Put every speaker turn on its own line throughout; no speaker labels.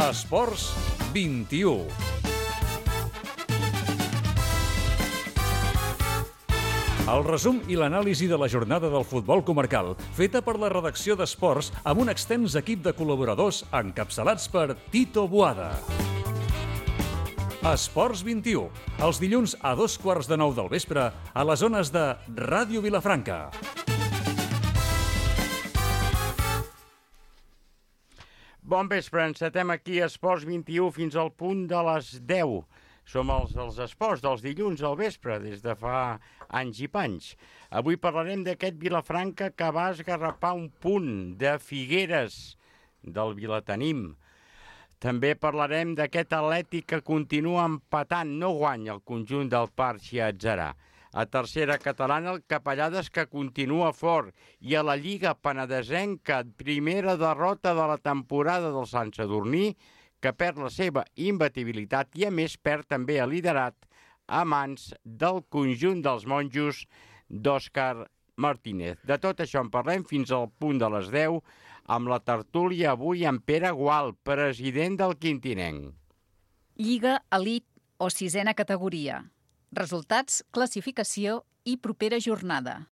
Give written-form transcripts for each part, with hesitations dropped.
Esports 21. El resum i l'anàlisi de la jornada del futbol comarcal, feta per la redacció d'Esports amb un extens equip de col·laboradors encapçalats per Tito Boada. Esports 21, els dilluns a 8:15 del vespre a les zones de Ràdio Vilafranca.
Bon vespre, encetem aquí Esports 21 fins al punt de les 10. Som els esports dels dilluns al vespre, des de fa anys i panys. Avui parlarem d'aquest Vilafranca que va esgarrapar un punt de Figueres del Vilatenim. També parlarem d'aquest Atlètic que continua empatant, no guanya el conjunt del Parc Atzarà. A tercera catalana, el Capellades que continua fort. I a la Lliga Penedesenca, primera derrota de la temporada del Sant Sadurní, que perd la seva imbatibilitat i a més perd també el liderat a mans del conjunt dels monjos d'Òscar Martínez. De tot això en parlem fins al punt de les 10 amb la tertúlia avui amb Pere Gual, president del Quintinenc.
Lliga Elit o sisena categoria. Resultats, classificació i propera jornada.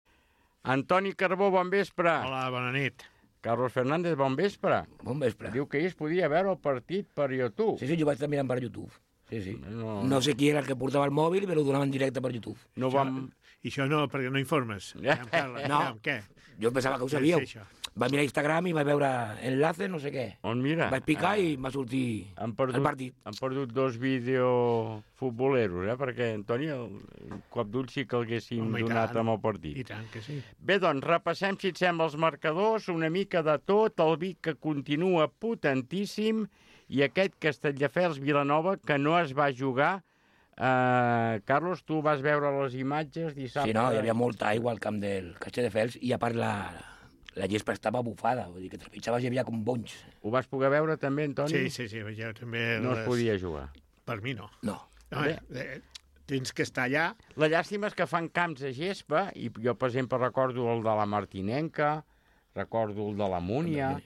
Antoni Carbó, bon vespre.
Hola, bona nit.
Carlos Fernández, bon vespre.
Bon vespre.
Diu que ahir es podia veure el partit per YouTube.
Sí, jo vaig estar mirant per YouTube. Sí. No sé qui era el que portava el mòbil, però ho donaven en directe per YouTube.
No vam...
I això no, perquè no informes.
No.
Què?
Jo pensava que ho sabíeu.
Què és això?
Vaig mirar Instagram i vaig veure enlace, no sé què.
On mira?
Vaig picar i va sortir el partit.
Han perdut dos videofutboleros, perquè, Antoni, un cop d'ull sí que l'haguéssim donat amb el partit.
I tant que sí.
Bé, doncs, repassem, si et sembla, els marcadors, una mica de tot, el Vic que continua potentíssim i aquest Castelldefels-Vilanova que no es va jugar. Carlos, tu vas veure les imatges dissabte?
Sí, no, hi havia molta aigua al camp del Castelldefels i a part la gespa estava bufada, vull dir que trepitjaves i hi havia com bonys.
Ho vas poder veure també, Antoni?
Sí, jo també...
No es podia jugar.
Per mi no.
No.
Tens que estar allà.
La llàstima és que fan camps de gespa, i jo, per exemple, recordo el de la Martinenca, recordo el de la Múnia,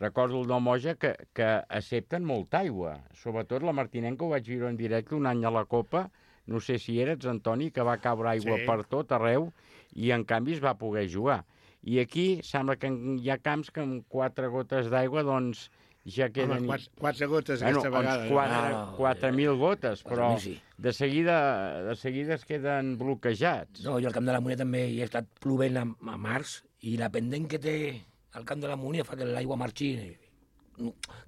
recordo el del Moja, que accepten molta aigua. Sobretot la Martinenca ho vaig veure en directe un any a la Copa, no sé si eres, Antoni, que va caure aigua per tot arreu, i en canvi es va poder jugar. I aquí sembla que hi ha camps que amb 4 gotes d'aigua, doncs, ja queden...
Home, 4 gotes aquesta vegada.
4.000 gotes, però
4.000 sí.
de seguida es queden bloquejats.
No, jo al camp de la Múnia també hi he estat plovent a març i la pendent que té al camp de la Múnia fa que l'aigua marxi,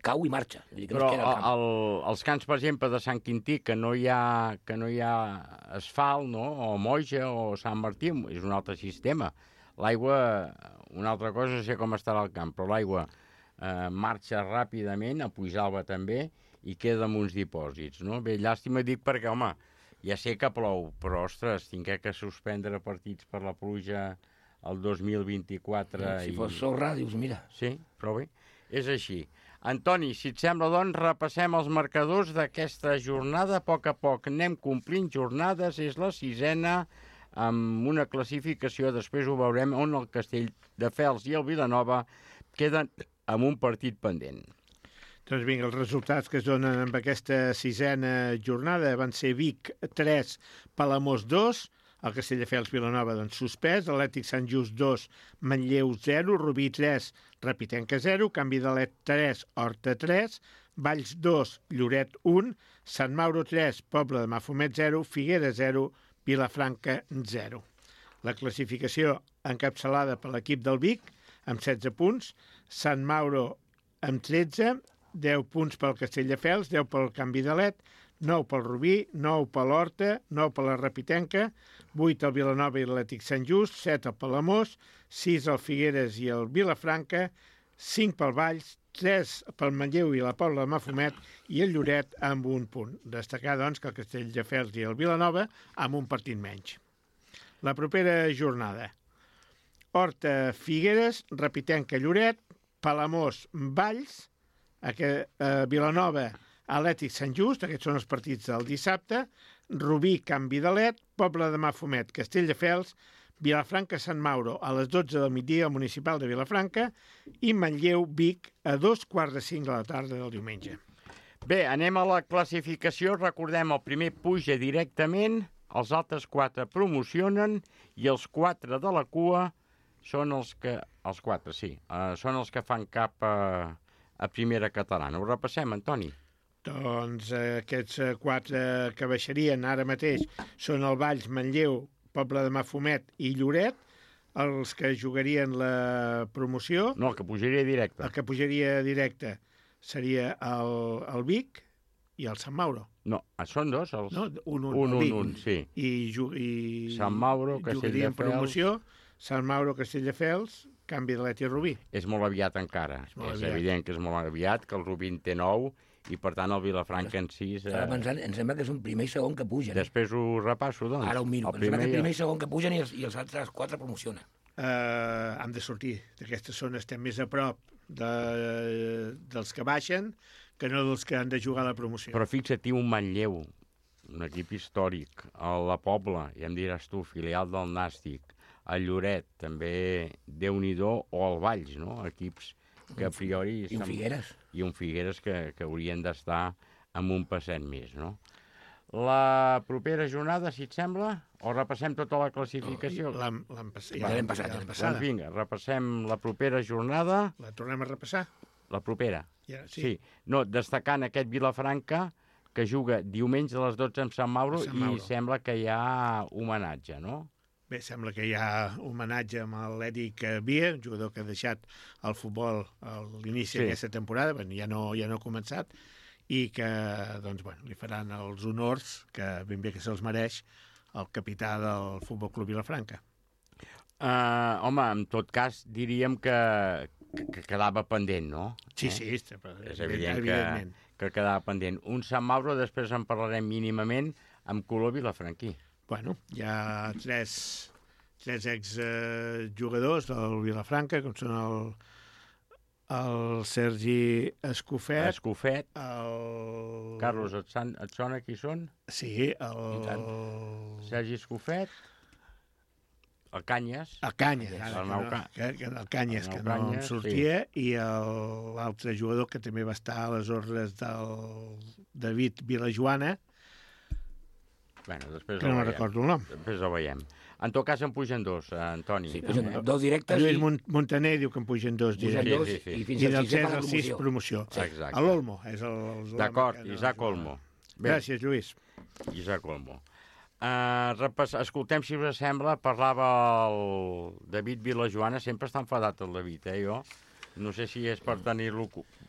cau i marxa.
Però els camps, per exemple, de Sant Quintí, que no hi ha asfalt, no? O Moja o Sant Martí, és un altre sistema. L'aigua, una altra cosa, no sé com estarà al camp, però l'aigua marxa ràpidament, a Puisalba també, i queda amb uns dipòsits, no? Bé, llàstima dic perquè, home, ja sé que plou, però, ostres, tinc que suspendre partits per la pluja el 2024.
Si fos sorra, dius, mira.
Sí, però bé, és així. Antoni, si et sembla, doncs, repassem els marcadors d'aquesta jornada. A poc anem complint jornades, és la 6ª, amb una classificació, després ho veurem, on el Castelldefels i el Vilanova queden amb un partit pendent.
Doncs vinga, els resultats que es donen amb aquesta 6ª jornada van ser Vic 3, Palamós 2, el Castelldefels Vilanova doncs suspès, Atlètic Sant Just 2, Manlleu 0, Rubí 3, Repitenca 0, Canvi d'Alet 3, Horta 3, Valls 2, Lloret 1, Sant Mauro 3, Poble de Mafumet 0, Figueres 0, Vilafranca 0. La classificació encapçalada per l'equip del Vic amb 16 punts, Sant Mauro amb 13, 10 punts pel Castelldefels, 10 pel Canvi d'Alet, 9 pel Rubí, 9 per l'Horta, 9 per la Repitenca, 8 el Vilanova i l'Atlètic Sant Just, 7 el Palamós, 6 el Figueres i el Vilafranca, 5 pel Valls, 3 pel Manlleu i la Pobla de Mafumet i el Lloret amb un punt. Destacar, doncs, que el Castelldefels i el Vilanova amb un partit menys. La propera jornada. Horta, Figueres, Repitenca, Lloret, Palamós, Valls, Vilanova, Atlètic Sant Just, aquests són els partits del dissabte, Rubí, Canvi d'Alet, Poble de Mafumet, Castelldefels, Vilafranca, Sant Mauro, a les 12 del migdia al municipal de Vilafranca i Manlleu, Vic, a 2:45 de la tarda del diumenge.
Bé, anem a la classificació. Recordem, el primer puja directament, els altres 4 promocionen i els 4 de la cua són els que... Els 4, sí. Són els que fan cap a primera catalana. Ho repassem, Antoni.
Doncs aquests 4 que baixarien ara mateix són el Valls, Manlleu, Poble de Mafumet i Lloret, els que jugarien la promoció.
No, el que pujaria directe.
El que pujaria directe seria el Vic i el Sant Mauro.
No, són 2. Els...
No,
un, sí.
I
Sant Mauro,
jugarien promoció, Sant Mauro, Castelldefels, canvi de l'Eti Rubí.
És molt aviat encara. És evident que és molt aviat, que el Rubí en té 9 i, per tant, el Vilafranca en 6...
Estava pensant, em sembla que és un primer i segon que pugen.
Després ho repasso, doncs.
Ara ho miro. Em sembla que primer i segon que pugen i els altres 4 promocionen.
Hem de sortir d'aquesta zona, estem més a prop dels que baixen que no dels que han de jugar a la promoció.
Però fixa't, un Manlleu, un equip històric, a la Pobla, ja em diràs tu, filial del Nàstic, a Lloret, també Déu-n'hi-do, o al Valls, no? Equips que a priori...
I un Figueres.
I un Figueres que haurien d'estar amb un passet més, no? La propera jornada, si et sembla, o repassem tota la classificació?
L'hem passat.
Doncs vinga, repassem la propera jornada.
La tornem a repassar?
La propera.
Ja,
sí. No, destacant aquest Vilafranca, que juga diumenge a les 12 amb Sant Mauro, i sembla que hi ha homenatge, no?
Bé, sembla que hi ha homenatge amb l'Eric Via, un jugador que ha deixat el futbol a l'inici d'aquesta temporada, ja no ha començat, i que li faran els honors, que ben bé que se'ls mereix, el capità del Futbol Club Vilafranca.
Home, en tot cas, diríem que quedava pendent, no?
Sí,
és evident que quedava pendent. Un Sant Mauro, després en parlarem mínimament, amb color vilafranquí.
Bueno, hi ha 3 exjugadors del Vilafranca, com són el Sergi Escofet, el...
Carlos, et sona qui són?
Sí,
Sergi Escofet, el Canyes.
El Canyes, que no em sortia, i l'altre jugador que també va estar a les ordres del David Vilajoana, que no recordo el nom.
Després el veiem. En tot cas en pugen 2, Antoni.
Sí, pugen 2 directes.
Lluís Montaner diu que en pugen 2 directes.
I
del 6 al 6 promoció.
Exacte.
L'Olmo és el...
D'acord, Isaac Olmo.
Gràcies, Lluís.
Isaac Olmo. Escoltem, si us sembla, parlava el David Vilajoana, sempre està enfadat el David, jo. No sé si és per tenir-lo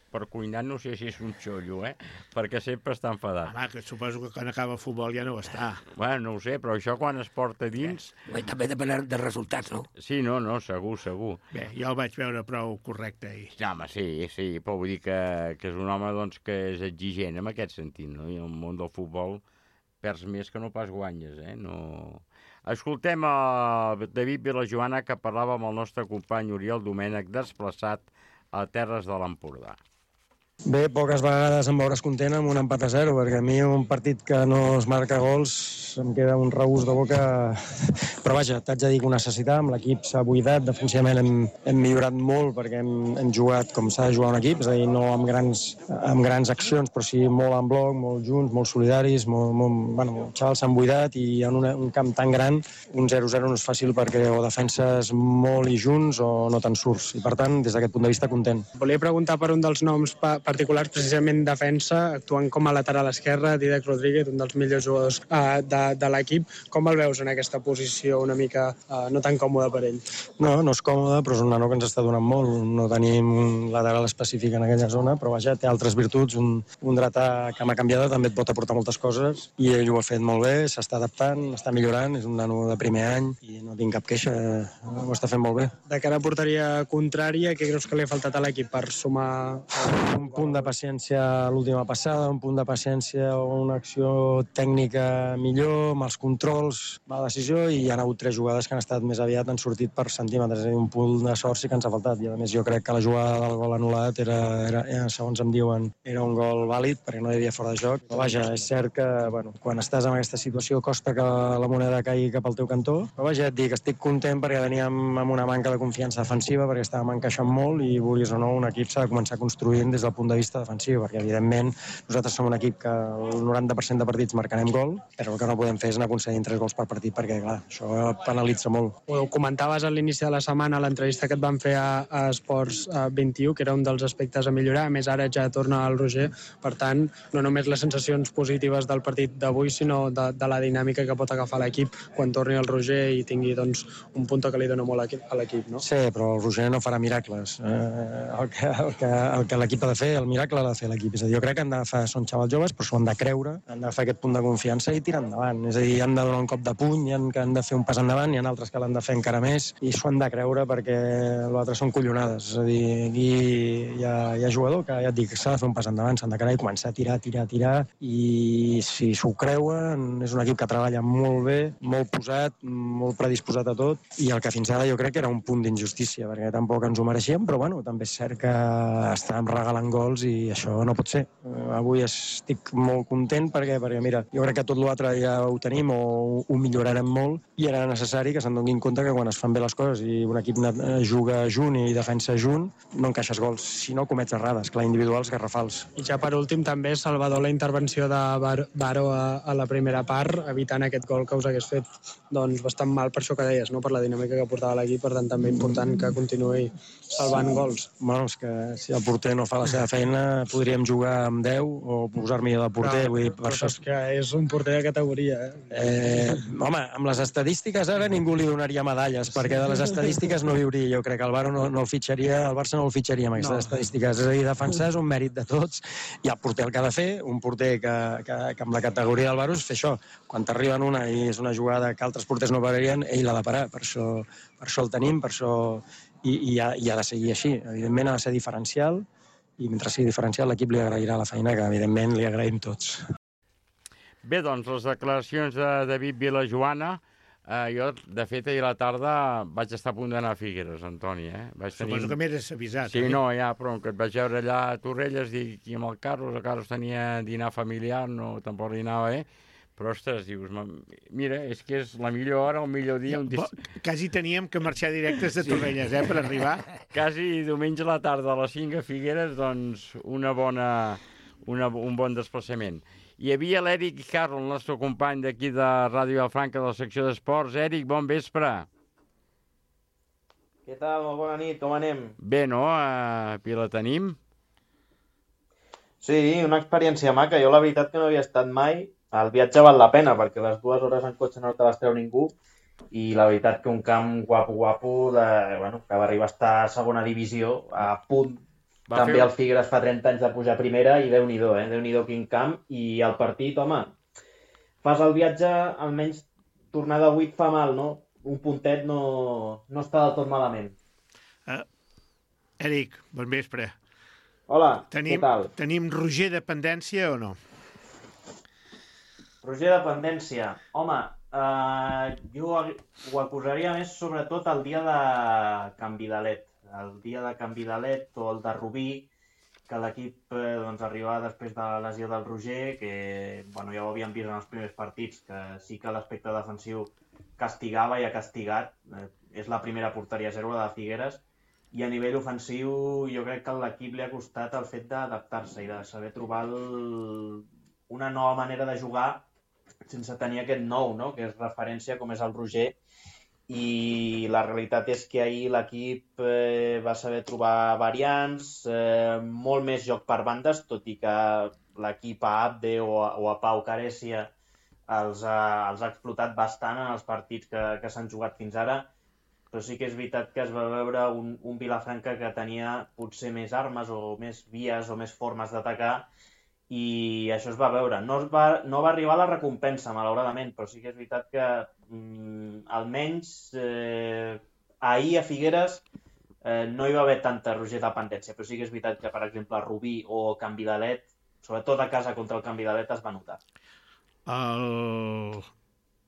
per cuinar, no sé si és un xollo, perquè sempre està enfadat.
Home, que suposo que quan acaba el futbol ja no ho està.
Bueno, no ho sé, però això quan es porta dins...
També depèn dels resultats, no?
Sí, no, segur.
Bé, jo el vaig veure prou correcte ahir.
Home, sí, però vull dir que és un home doncs, que és exigent en aquest sentit, no? I en el món del futbol perds més que no pas guanyes, No... Escoltem a David Vilajoana, que parlava amb el nostre company Oriol Domènech, desplaçat a Terres de l'Empordà.
Bé, poques vegades em veuràs content amb un empat a 0, perquè a mi un partit que no es marca gols em queda un regust de boca. Però vaja, t'haig de dir que ho necessitàvem, l'equip s'ha buidat, defensivament hem millorat molt perquè hem jugat com s'ha de jugar un equip, és a dir, no amb grans accions, però sí molt en bloc, molt junts, molt solidaris, els xavals s'han buidat i en un camp tan gran un 0-0 no és fàcil perquè o defenses molt i junts o no te'n surts. I per tant, des d'aquest punt de vista, content.
Volia preguntar per un dels noms particulars, precisament defensa, actuant com a lateral esquerre, Dídac Rodríguez, un dels millors jugadors de l'equip. Com el veus en aquesta posició una mica no tan còmode per ell?
No és còmode, però és un nano que ens està donant molt. No tenim un lateral específic en aquella zona, però vaja, té altres virtuts. Un dretà que m'ha canviat també et pot aportar moltes coses i ell ho ha fet molt bé, s'està adaptant, està millorant, és un nano de primer any i no tinc cap queixa, ho està fent molt bé.
De cara a porteria contrària, què creus que li ha faltat a l'equip per sumar
un punt de paciència a l'última passada, un punt de paciència o una acció tècnica millor, amb els controls, la decisió, i hi ha hagut 3 jugades que han estat més aviat, han sortit per centímetres, és a dir, un punt de sort sí que ens ha faltat, i a més jo crec que la jugada del gol anul·lat era segons em diuen, era un gol vàlid perquè no hi havia fora de joc, però vaja, és cert que quan estàs en aquesta situació costa que la moneda caigui cap al teu cantó, però vaja, et dic, estic content perquè veníem amb una manca de confiança defensiva, perquè estàvem encaixant molt i, vulguis o no, un equip s'ha de començar construint des del punt punt de vista defensiu, perquè evidentment nosaltres som un equip que el 90% de partits marcarem gol, però el que no podem fer és anar concedint 3 gols per partit, perquè clar, això penalitza molt.
Ho comentaves a l'inici de la setmana, a l'entrevista que et van fer a Esports 21, que era un dels aspectes a millorar. A més, ara ja torna el Roger, per tant, no només les sensacions positives del partit d'avui, sinó de la dinàmica que pot agafar l'equip quan torni el Roger i tingui doncs, un punt que li dona molt a l'equip, no?
Sí, però el Roger no farà miracles. El que l'equip ha de fer, el miracle l'ha de fer l'equip. És a dir, jo crec que han d'agafar, són xavals joves, però s'ho han de creure, han d'agafar aquest punt de confiança i tirar endavant. És a dir, han de donar un cop de puny, han de fer un pas endavant, hi ha altres que l'han de fer encara més, i s'ho han de creure perquè l'altre són collonades. És a dir, aquí hi ha jugador que, ja et dic, s'ha de fer un pas endavant, s'han de quedar i començar a tirar, i si s'ho creuen, és un equip que treballa molt bé, molt posat, molt predisposat a tot, i el que fins ara jo crec que era un punt d'injustícia, perquè tampoc ens ho mereixíem, però bueno, també és cert que estàvem regalant gols i això no pot ser. Avui estic molt content perquè mira, jo crec que tot l'altre ja ho tenim o ho millorarem molt, i era necessari que se'n donin compte que quan es fan bé les coses i un equip juga junt i defensa junt, no encaixes gols, si no comets errades, clar, individuals, garrafals.
I ja per últim també, Salvador, la intervenció de Baro a la primera part, evitant aquest gol que us hagués fet doncs bastant mal per això que deies, no? Per la dinàmica que portava l'equip, per tant també important que continuï salvant gols.
Bueno, és que si el porter no fa la seva feina podríem jugar amb 10 o posar-m'hi de porter. Vull dir, per això...
És que és un porter de categoria,
home, amb les estadístiques ara ningú li donaria medalles, perquè de les estadístiques no viuria. Jo crec que el Barça no el fitxaria, el Barça no el fitxaria amb aquestes estadístiques. És a dir, defensar és un mèrit de tots, i el porter el que ha de fer, un porter que amb la categoria del Barça, és fer això. Quan t'arriben una i és una jugada que altres porters no pararien, ell l'ha de parar. Per això el tenim, per això i ha de seguir així. Evidentment ha de ser diferencial, i mentre sigui diferencial l'equip li agrairà la feina, que evidentment li agraïm tots.
Bé, doncs, les declaracions de David Vilajoana. Jo, de fet, ahir a la tarda vaig estar a punt d'anar a Figueres, Antoni.
Suposo que m'eres avisat.
Sí, no, ja, però que et vaig veure allà a Torrelles, dic, i amb el Carlos tenia dinar familiar, no, tampoc li anava bé. Però, ostres, dius, mira, és que és la millor hora, el millor dia...
Quasi teníem que marxar directes de Torrelles, per arribar.
Quasi diumenge a la tarda a les 5 a Figueres, doncs un bon desplaçament. Hi havia l'Eric Carro, el nostre company d'aquí de Ràdio Vilafranca, de la secció d'esports. Eric, bon vespre.
Què tal? Molt bona nit, com anem?
Bé, no? Aquí la tenim.
Sí, una experiència maca. Jo la veritat que no havia estat mai. El viatge val la pena, perquè les 2 hores en cotxe no te les treu ningú, i la veritat que un camp guapo, que va arribar a estar a segona divisió, a punt. També el Figueres fa 30 anys de pujar a primera, i Déu-n'hi-do, Déu-n'hi-do quin camp. I el partit, home, fas el viatge, almenys tornar de 8 fa mal, no? Un puntet no està del tot malament.
Eric, bon vespre.
Hola, què tal?
Tenim Roger dependència o no?
Roger dependència. Home, jo ho acusaria més sobretot el dia de canvi de led. El dia de canvi de led o el de Rubí, que l'equip arribava després de la lesió del Roger, que ja ho havíem vist en els primers partits, que sí que l'aspecte defensiu castigava i ha castigat. És la primera porteria zero, la de Figueres, i a nivell ofensiu jo crec que a l'equip li ha costat el fet d'adaptar-se i de saber trobar una nova manera de jugar sense tenir aquest nou, no? Que és referència com és el Roger. I la realitat és que ahir l'equip va saber trobar variants, molt més joc per bandes, tot i que l'equip a Abde o a Pau Carecia els ha explotat bastant en els partits que s'han jugat fins ara, però sí que és veritat que es va veure un Vilafranca que tenia potser més armes o més vies o més formes d'atacar, i això es va veure. No va arribar la recompensa, malauradament, però sí que és veritat que almenys ahir a Figueres no hi va haver tanta Roger dependència, però sí que és veritat que, per exemple, Rubí o Can Vidalet, sobretot a casa contra el Can Vidalet, es va notar.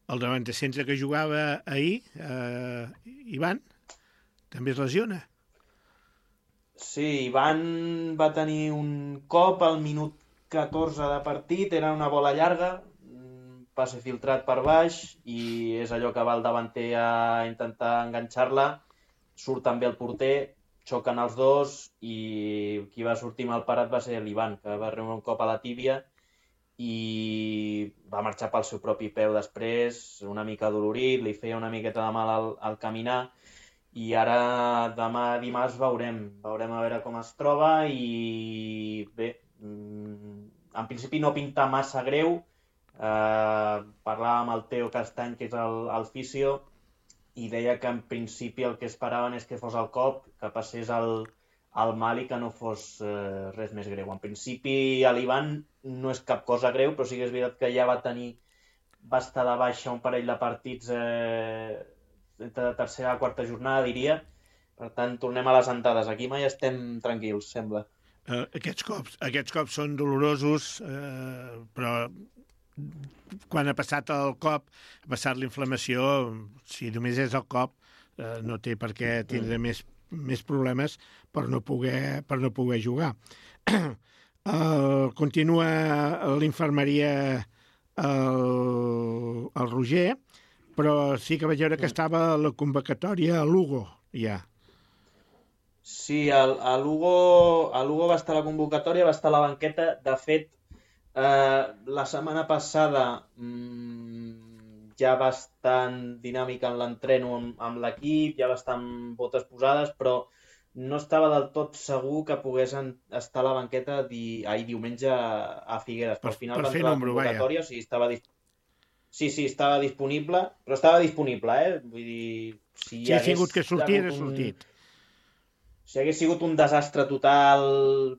El davant de centre que jugava ahir, Ivan, també es lesiona.
Sí, Ivan va tenir un cop al minut 14 de partit, era una bola llarga, passe filtrat per baix, i és allò que va el davanter a intentar enganxar-la, surt també el porter, xoquen els dos i qui va sortir malparat va ser l'Ivan, que va rebre un cop a la tíbia i va marxar pel seu propi peu després, una mica dolorit, li feia una miqueta de mal al caminar i ara demà dimarts veurem a veure com es troba i bé, en principi no pinta massa greu. Parlava amb el Teo Castany, que és el fisio, i deia que en principi el que esperaven és que fos el cop, que passés el mal i que no fos res més greu. En principi a l'Ivan no és cap cosa greu, però sí que és veritat que ja va estar de baixa un parell de partits entre tercera i quarta jornada, diria. Per tant, tornem a les andades. Aquí mai estem tranquils, sembla.
Aquests cops són dolorosos, però quan ha passat el cop, ha passat la inflamació, si només és el cop, no té per què tindre més problemes per no poder jugar. Continua l'infermeria el Roger, però sí que vaig veure que estava a la convocatòria a Lugo, ja.
Sí, a Lugo va estar a la convocatòria, va estar a la banqueta. De fet, la setmana passada ja va estar en dinàmica en l'entreno amb l'equip, ja va estar amb botes posades, però no estava del tot segur que pogués estar a la banqueta diumenge a Figueres. Però al final va entrar a la convocatòria, o sigui, estava disponible, però estava disponible, Vull dir, si
ha sigut que sortir, ha sortit.
Si hagués sigut un desastre total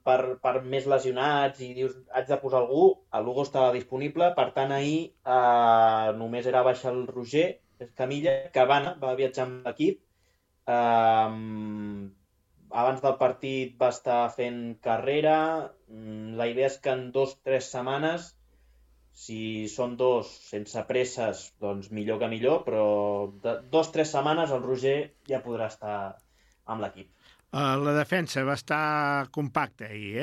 per més lesionats i dius, haig de posar algú, el Lugo estava disponible, per tant ahir només era baixar el Roger Camilla, que va viatjar amb l'equip. Abans del partit va estar fent carrera. La idea és que en 2-3 setmanes, si són dos sense presses, doncs millor que millor, però 2-3 setmanes el Roger ja podrà estar amb l'equip.
La defensa va estar compacta ahir,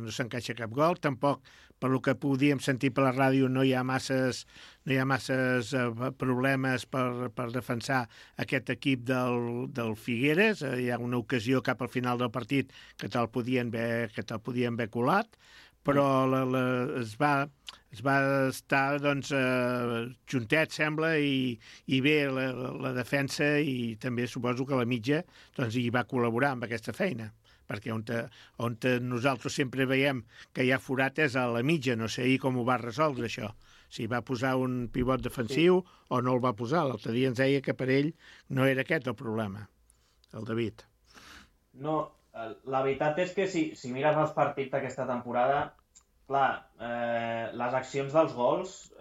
no s'encaixa cap gol, tampoc, per lo que podíem sentir per la ràdio, no hi ha masses problemes per defensar aquest equip del Figueres. Hi ha una ocasió cap al final del partit que te'l podien haver colat, però es va estar juntet, sembla, i bé la defensa, i també suposo que la mitja hi va col·laborar amb aquesta feina, perquè on nosaltres sempre veiem que hi ha forat és a la mitja. No sé com ho va resoldre, això. Si va posar un pivot defensiu o no el va posar. L'altre dia ens deia que per ell no era aquest el problema, el David.
No, la veritat és que si mires els partits d'aquesta temporada, clar, les accions dels gols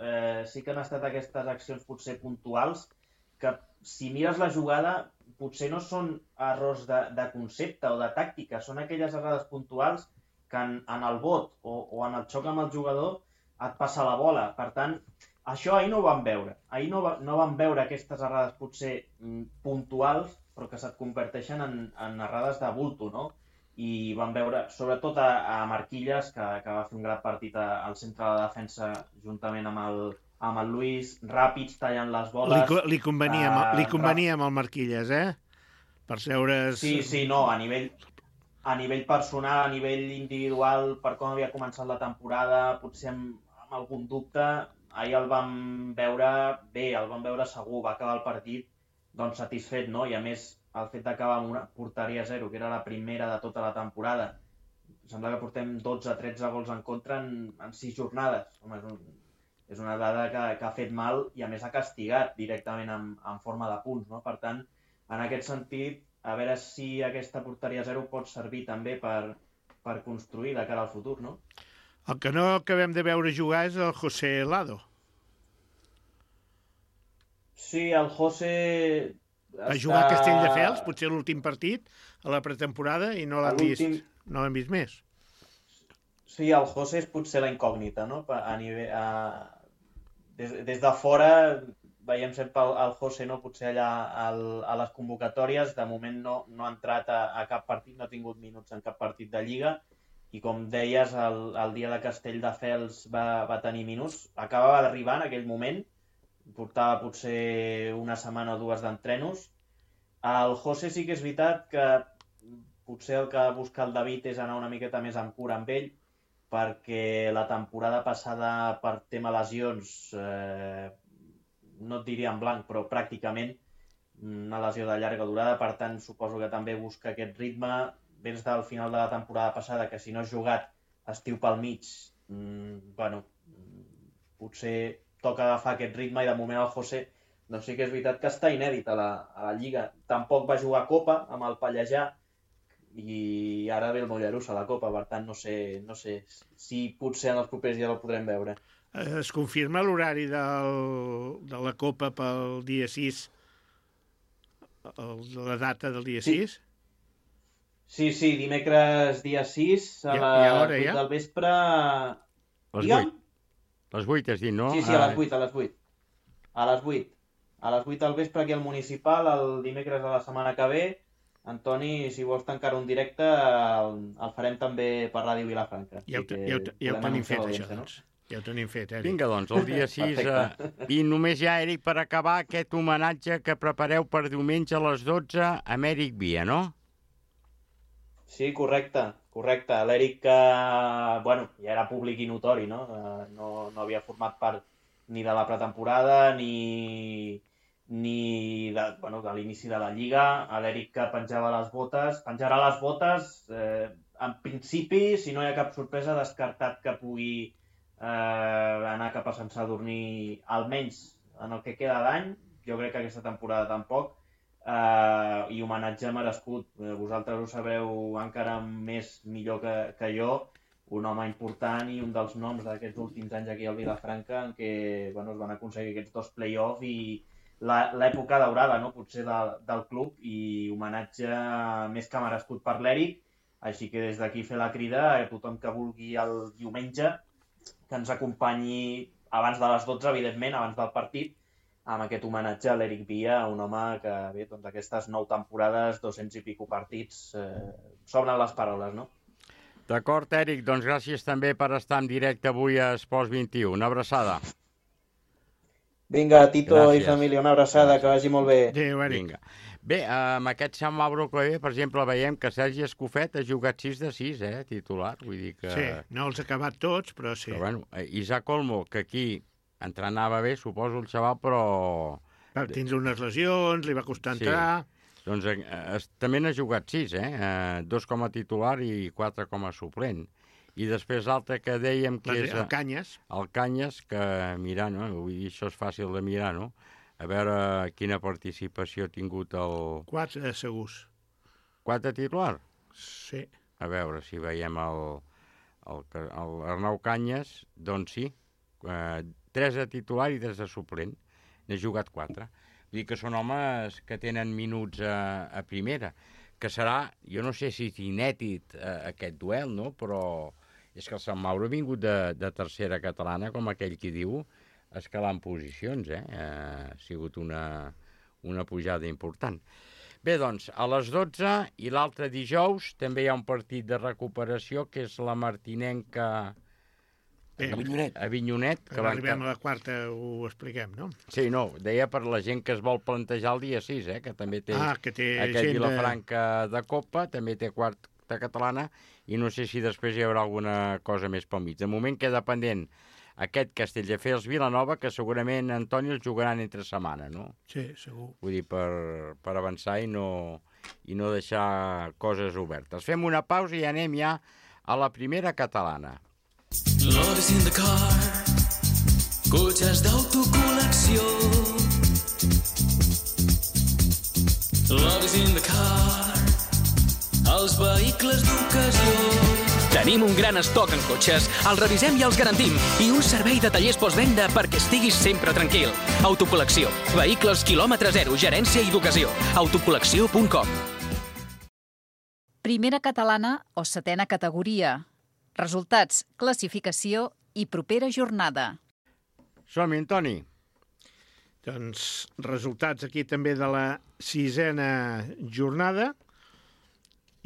sí que han estat aquestes accions potser puntuals, que si mires la jugada potser no són errors de concepte o de tàctica, són aquelles errades puntuals que en el bot o en el xoc amb el jugador et passa la bola. Per tant, això ahir no ho vam veure. Ahir no vam veure aquestes errades potser puntuals, però que se't converteixen en errades de bulto, no? I vam veure, sobretot a Marquilles, que va fer un gran partit al centre de la defensa juntament amb el Luis, ràpids, tallant les boles.
Li convenia amb el Marquilles, per seure's...
Sí, no, a nivell personal, a nivell individual, per com havia començat la temporada, potser amb algun dubte, ahir el vam veure bé, el vam veure segur, va acabar el partit satisfet, no? I a més, el fet d'acabar amb una porteria 0, que era la primera de tota la temporada, sembla que portem 12-13 gols en contra en 6 jornades. Home, és una dada que ha fet mal i a més ha castigat directament en forma de punts, no? Per tant, en aquest sentit, a veure si aquesta porteria 0 pot servir també per construir de cara al futur, no?
El que no acabem de veure jugar és el José Lado.
Sí, el José...
Va jugar a Castelldefels, potser l'últim partit, a la pretemporada, i no l'han vist més.
Sí, el José és potser la incògnita, no? Des de fora veiem sempre el José, no? Potser allà a les convocatòries, de moment no ha entrat a cap partit, no ha tingut minuts en cap partit de Lliga, i com deies, el dia de Castelldefels va tenir minuts. Acabava d'arribar en aquell moment, portava potser una setmana o dues d'entrenos. El José sí que és veritat que potser el que busca el David és anar una miqueta més amb cura amb ell, perquè la temporada passada per tema lesions, no et diria en blanc, però pràcticament una lesió de llarga durada, per tant suposo que també busca aquest ritme. Vens del final de la temporada passada, que si no has jugat estiu pel mig, potser toca agafar aquest ritme, i de moment el José, doncs sí que és veritat que està inèdit a la Lliga. Tampoc va jugar a Copa amb el Pallejà, i ara ve el Mollerussa a la Copa, per tant no sé si potser en els propers dies el podrem veure.
Es confirma l'horari de la Copa pel dia 6, la data del dia 6?
Sí, dimecres dia 6 a les 8 del vespre.
Les 8 has dit, no?
Sí, a les 8. A les 8 del vespre aquí al Municipal, el dimecres de la setmana que ve. Antoni, si vols tancar un directe, el farem també per Ràdio Vilafranca.
Ja ho tenim fet, això, doncs. Ja ho tenim fet, Eric.
Vinga, doncs, el dia 6. I només ja, Eric, per acabar, aquest homenatge que prepareu per diumenge a les 12 a Èric Via, no?
Sí, correcte. L'Eric, ja era públic i notori, no? No havia format part ni de la pretemporada ni de l'inici de la Lliga. L'Eric que penjarà les botes. En principi, si no hi ha cap sorpresa, descartat que pugui anar cap a Sant Sadurní, almenys en el que queda d'any. Jo crec que aquesta temporada tampoc. I homenatge merescut. Vosaltres ho sabreu encara millor que jo. Un home important i un dels noms d'aquests últims anys aquí al Vilafranca, en què es van aconseguir aquests 2 play-off i l'època daurada, no? Potser del club, i homenatge més que merescut per l'Eric. Així que des d'aquí fer la crida a tothom que vulgui el diumenge que ens acompanyi abans de les 12, evidentment, abans del partit, amb aquest homenatge a l'Eric Via, un home que, bé, doncs aquestes 9 temporades, 200 i pico partits, sobren les paraules, no?
D'acord, Eric, doncs gràcies també per estar en directe avui a Esports 21. Una abraçada.
Vinga, Tito i família, una abraçada, que vagi molt bé.
Adéu, Eric.
Vinga. Bé, amb aquest Sant Mauro Clavé, per exemple, veiem que Sergi Escofet ha jugat 6 de 6, titular. Vull dir que...
Sí, no els ha acabat tots, però sí.
Però, bueno, Isaac Olmo, que aquí entrenava bé, suposo, el xaval, però...
Va tindre unes lesions, li va costar entrar...
Doncs també n'ha jugat 6, 2 com a titular i 4 com a suplent. I després l'altre que dèiem que és...
El Canyes.
El Canyes, que mirar, no? Vull dir, això és fàcil de mirar, no? A veure quina participació ha tingut el...
4 segurs.
4 titular?
Sí.
A veure si veiem el Arnau Canyes, doncs sí, 3 de titular i 3 de suplent. N'ha jugat 4. Vull dir que són homes que tenen minuts a primera, que serà, jo no sé si és inèdit aquest duel, no? Però és que el Sant Mauro ha vingut de tercera catalana, com aquell qui diu, escalant posicions, ha sigut una pujada important. Bé, doncs, a les 12 i l'altre dijous també hi ha un partit de recuperació, que és la Martinenca Avinyonet.
Que arribem a la quarta, ho expliquem, no?
Sí, no, deia per la gent que es vol plantejar el dia 6, que també té, aquest Vilafranca de Copa, també té quarta catalana, i no sé si després hi haurà alguna cosa més pel mig. De moment queda pendent aquest Castelldefels Vilanova, que segurament, Antoni, els jugaran entre setmana, no?
Sí, segur.
Vull dir, per avançar i no deixar coses obertes. Fem una pausa i anem ja a la primera catalana.
Love is in the car, cotxes d'autocol·lecció. Love is in the car, els vehicles d'ocasió. Tenim un gran estoc en cotxes, els revisem i els garantim, i un servei de tallers postvenda perquè estiguis sempre tranquil. Autocol·lecció. Vehicles quilòmetre zero, gerència i d'ocasió. Autocol·lecció.com.
Primera catalana o setena categoria. Resultats, classificació i propera jornada.
Som-hi, Antoni.
Doncs resultats aquí també de la 6a jornada,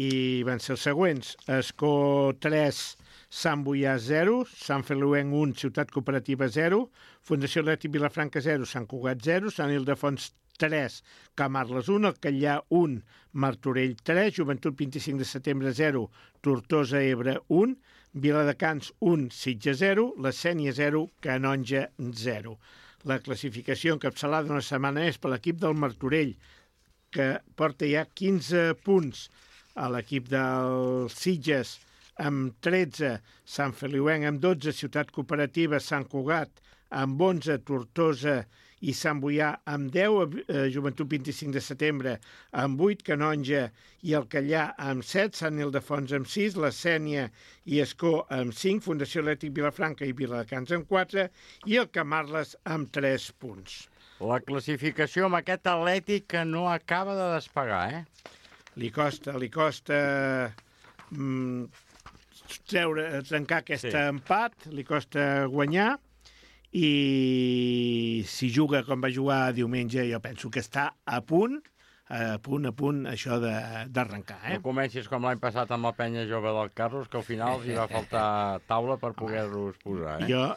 i van ser els següents. Escó 3, Sant Boià 0, Sant Feliuenc 1, Ciutat Cooperativa 0, Fundació Atlètic Vilafranca 0, Sant Cugat 0, Sant Ildefons 3, Camarles 1, el Catllà 1, Martorell 3, Joventut 25 de setembre 0, Tortosa Ebre 1, Viladecans 1, Sitges 0, la Sénia 0, Canonja 0. La classificació encapçalada una setmana més per l'equip del Martorell, que porta ja 15 punts, a l'equip del Sitges amb 13, Sant Feliuenc amb 12, Ciutat Cooperativa, Sant Cugat amb 11, Tortosa i Sant Boià amb 10, Joventut 25 de setembre amb 8, Canonja i el Catllà amb 7, Sant Ildefons amb 6, la Sénia i Escó amb 5, Fundació Atlètic Vilafranca i Viladecans amb 4 i el Camarles amb 3 punts.
La classificació amb aquest Atlètic que no acaba de despegar,
Li costa trencar aquest empat, li costa guanyar, i si juga com va jugar diumenge, jo penso que està a punt això d'arrencar.
No comencis com l'any passat amb la penya jove del Carlos, que al final els hi va faltar taula per poder-los posar.
Jo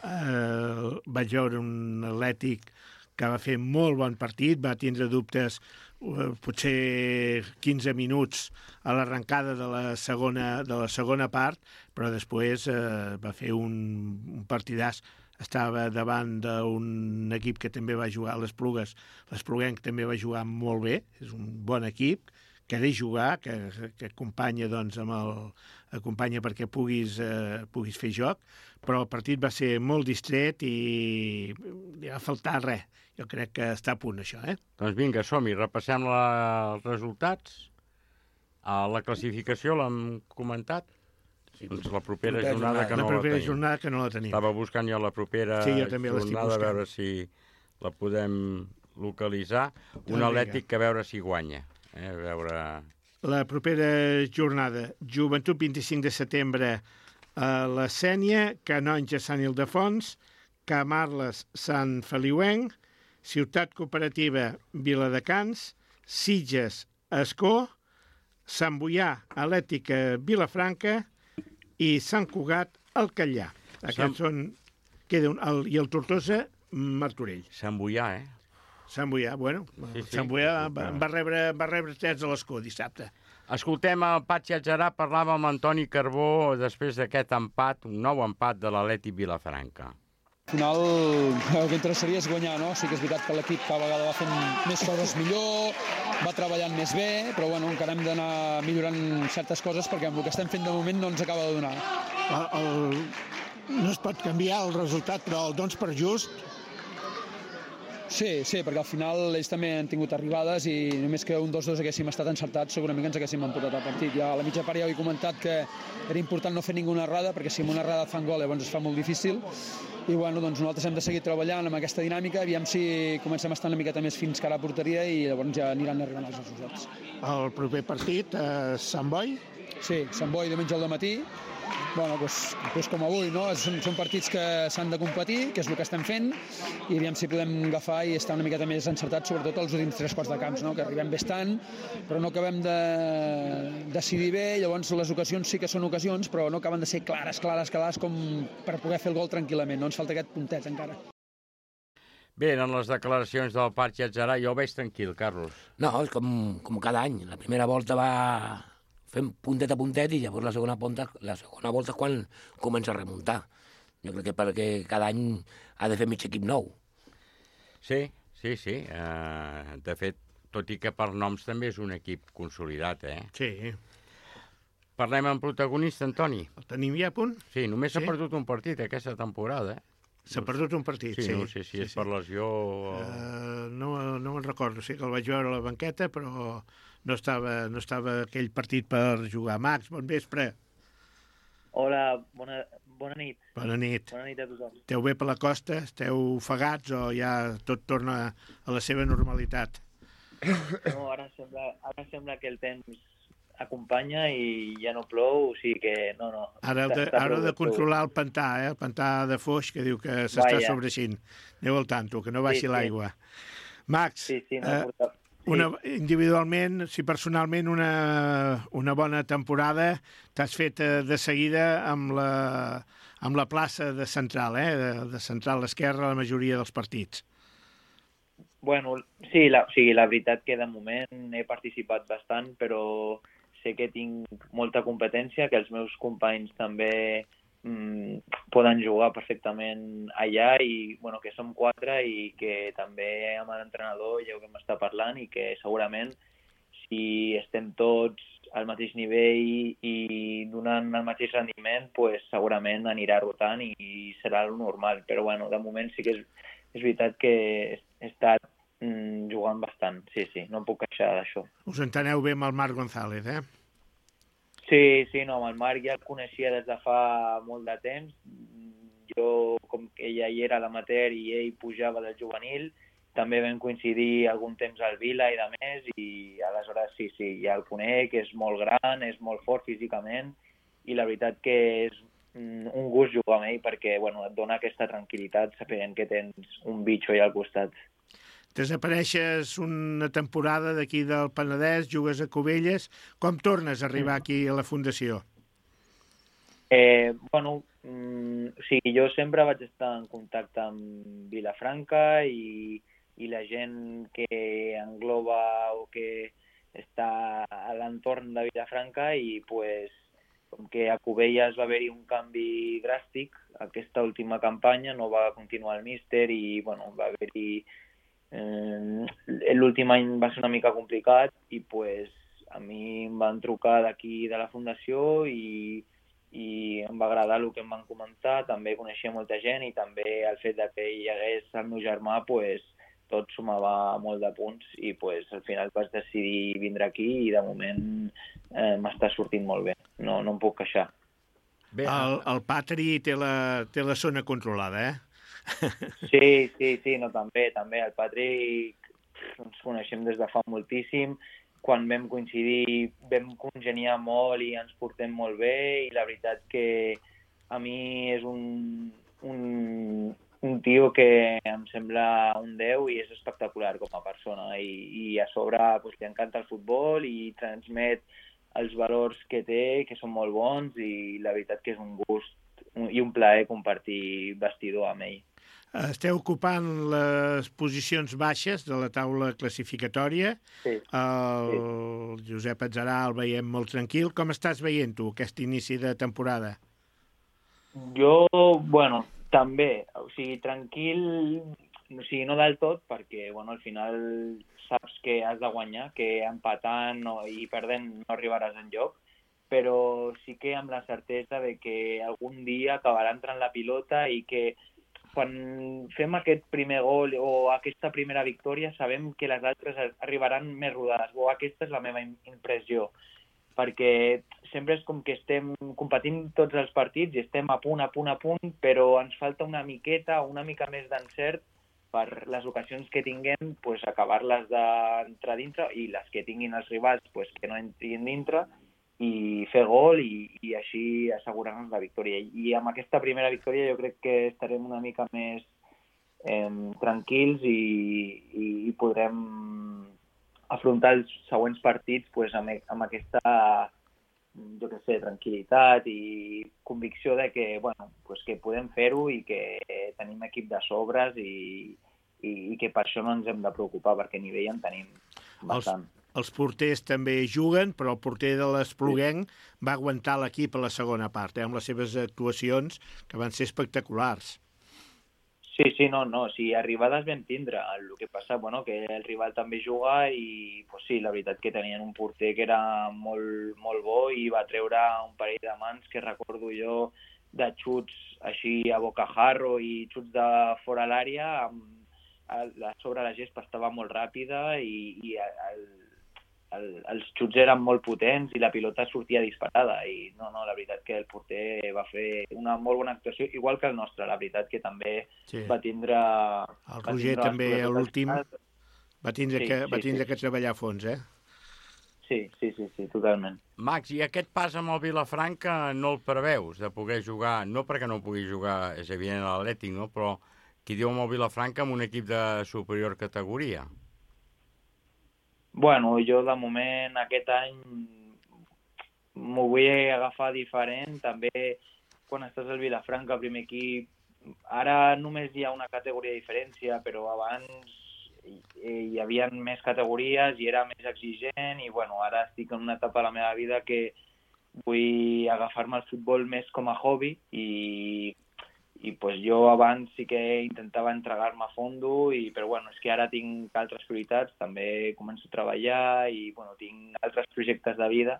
vaig veure un Atlètic que va fer molt bon partit, va tindre dubtes potser 15 minuts a l'arrencada de la segona part, però després va fer un partidàs. Estava davant d'un equip que també va jugar a l'Esplugues. L'Espluguenc també va jugar molt bé, és un bon equip, que ha de jugar, que acompanya, doncs, acompanya perquè puguis fer joc, però el partit va ser molt distret i li va faltar res. Jo crec que està a punt, això,
Doncs vinga, som-hi, repassem els resultats. La classificació l'hem comentat? Doncs la propera jornada que no la tenim. Estava buscant jo la propera jornada a veure si la podem localitzar. Un Atlètic que a veure si guanya.
La propera jornada, Joventut 25 de setembre a la Sénia, Canonja Sant Ildefons, Camarles Sant Feliuenc, Ciutat Cooperativa Viladecans, Sitges Escó, Sant Boià Atlètic Vilafranca i Sant Cugat el Catllà. Aquests són... I el Tortosa Martorell.
Sant Boià,
Sant Boià, bueno. Sant Boià va rebre 3 de l'Escó dissabte.
Escoltem el Patxi Adjarà, parlava amb Antoni Carbó després d'aquest empat, un nou empat de l'Atlètic Vilafranca.
Al final el que interessaria és guanyar, no? Sí que és veritat que l'equip cada vegada va fent més coses millor, va treballant més bé, però bueno, encara hem d'anar millorant certes coses perquè amb el que estem fent de moment no ens acaba de donar.
No es pot canviar el resultat, però el dons per just.
Sí, perquè al final ells també han tingut arribades i només que un 2-2 haguéssim estat encertats segurament que ens haguéssim emportat el partit. Ja a la mitja part ja ho he comentat que era important no fer ninguna errada perquè si amb una errada et fan gol llavors es fa molt difícil i bueno, doncs nosaltres hem de seguir treballant amb aquesta dinàmica, aviam si comencem a estar una miqueta més fins cara a la porteria i llavors ja aniran arribant els resultats.
El proper partit, Sant Boi?
Sí, Sant Boi diumenge al matí. Bueno, doncs com avui, no? Són partits que s'han de competir, que és el que estem fent, i aviam si podem agafar i estar una miqueta més encertats, sobretot als últims 3 quarts de camps, no? Que arribem bé estant, però no acabem de decidir bé, llavors les ocasions sí que són ocasions, però no acaben de ser clares com per poder fer el gol tranquil·lament, no? Ens falta aquest puntet encara.
Bé, eren les declaracions del Patxi Adjarà, jo ho veig tranquil, Carlos.
No, és com cada any, la primera volta va fem puntet a puntet i llavors la segona volta és quan comença a remuntar. Jo crec que perquè cada any ha de fer mig equip nou.
Sí. De fet, tot i que per noms també és un equip consolidat,
Sí.
Parlem amb protagonista, Antoni.
El tenim ja a punt?
Sí, només s'ha perdut un partit aquesta temporada,
S'ha perdut un partit, sí.
No sé si és per lesió o...
No me'n recordo, sí que el vaig veure a la banqueta, però no estava aquell partit per jugar. Max, bon vespre.
Hola, bona nit.
Bona nit.
Bona nit a tothom.
Esteu bé per la costa? Esteu ofegats o ja tot torna a la seva normalitat?
No, ara sembla que el temps acompanya i ja no plou, o sigui que no.
Ara heu de controlar el pantà, el pantà de Foix, que diu que s'està sobreixint. Aneu al tanto, que no baixi l'aigua. Max, individualment, si personalment una bona temporada, t'has fet de seguida amb la plaça de central, de central esquerra la majoria dels partits.
Bueno, sí, la veritat que de moment he participat bastant, però sé que tinc molta competència, que els meus companys també poden jugar perfectament allà i bueno, que som 4 i que també amb l'entrenador ja ho vam estar parlant i que segurament si estem tots al mateix nivell i donant el mateix rendiment, pues, segurament anirà rotant i serà el normal. Però bueno, de moment sí que és veritat que he estat jugant bastant, sí, no em puc queixar d'això.
Us enteneu bé amb el Marc González, eh?
Sí, no, amb el Marc ja el coneixia des de fa molt de temps. Jo, com que ella hi era a l'amateur i ell pujava del juvenil, també vam coincidir algun temps al Vila i de més, i aleshores sí, ja el conec, és molt gran, és molt fort físicament, i la veritat que és un gust jugar amb ell perquè bueno, et dona aquesta tranquil·litat sapent que tens un bitxo allà al costat.
Desapareixes una temporada d'aquí del Penedès, jugues a Cubelles. Com tornes a arribar aquí a la Fundació?
Jo sempre vaig estar en contacte amb Vilafranca i la gent que engloba o que està a l'entorn de Vilafranca i pues, com que a Cubelles va haver-hi un canvi dràstic, aquesta última campanya no va continuar el míster i bueno, va haver-hi l'últim any va ser una mica complicat i pues, a mi em van trucar d'aquí de la Fundació i em va agradar el que em van comentar, també coneixia molta gent i també el fet que hi hagués el meu germà, pues, tot sumava molt de punts i pues, al final vaig decidir vindre aquí i de moment m'està sortint molt bé, no em puc queixar.
Bé, el Patri té la zona controlada, eh?
Sí, no, també. El Patrick ens coneixem des de fa moltíssim. Quan vam coincidir vam congeniar molt i ens portem molt bé i la veritat que a mi és un tio que em sembla un 10 i és espectacular com a persona i a sobre pues, li encanta el futbol i transmet els valors que té, que són molt bons i la veritat que és un gust i un plaer compartir vestidor amb ell.
Esteu ocupant les posicions baixes de la taula classificatòria.
Sí.
El Josep Atzarà el veiem molt tranquil. Com estàs veient tu aquest inici de temporada?
Jo, també. O sigui, tranquil, no del tot, perquè al final saps que has de guanyar, que empatant i perdent no arribaràs enlloc, però sí que amb la certesa de que algun dia acabarà entrant la pilota i que quan fem aquest primer gol o aquesta primera victòria sabem que les altres arribaran més rodades, o aquesta és la meva impressió, perquè sempre és com que estem competint tots els partits i estem a punt, però ens falta una mica més d'encert per les ocasions que tinguem, pues, acabar-les d'entrar dintre i les que tinguin els rivals pues, que no entrin dintre i fer gol i així assegurar-nos la victòria. I amb aquesta primera victòria jo crec que estarem una mica més tranquils i podrem afrontar els següents partits pues, amb aquesta tranquil·litat i convicció de que, que podem fer-ho i que tenim equip de sobres i que per això no ens hem de preocupar perquè a nivell en tenim bastant.
Els porters també juguen, però el porter de l'Espluguenc va aguantar l'equip a la segona part, amb les seves actuacions, que van ser espectaculars.
Sí, no, arribades vam tindre. El que passa, que el rival també juga i, pues sí, la veritat que tenien un porter que era molt, molt bo i va treure un parell de mans que recordo jo de xuts així a bocajarro i xuts de fora l'àrea, sobre la gespa estava molt ràpida i els xuts eren molt potents i la pilota sortia disparada i la veritat que el porter va fer una molt bona actuació, igual que el nostre, la veritat que també va tindre...
El Roger també a l'últim va tindre que treballar a fons, eh?
Sí, totalment.
Max, i aquest pas amb el Vilafranca no el preveus, de poder jugar, no perquè no pugui jugar, és evident, a l'Atlètic, no? Però qui diu amb el Vilafranca amb un equip de superior categoria?
Jo de moment aquest any m'ho vull agafar diferent. També quan estàs al Vilafranca, el primer equip, ara només hi ha una categoria de diferència, però abans hi havia més categories i era més exigent i bueno, ara estic en una etapa de la meva vida que vull agafar-me el futbol més com a hobby i pues jo abans sí que intentava entregar-me a fondo, però bueno, és que ara tinc altres prioritats, també començo a treballar i bueno, tinc altres projectes de vida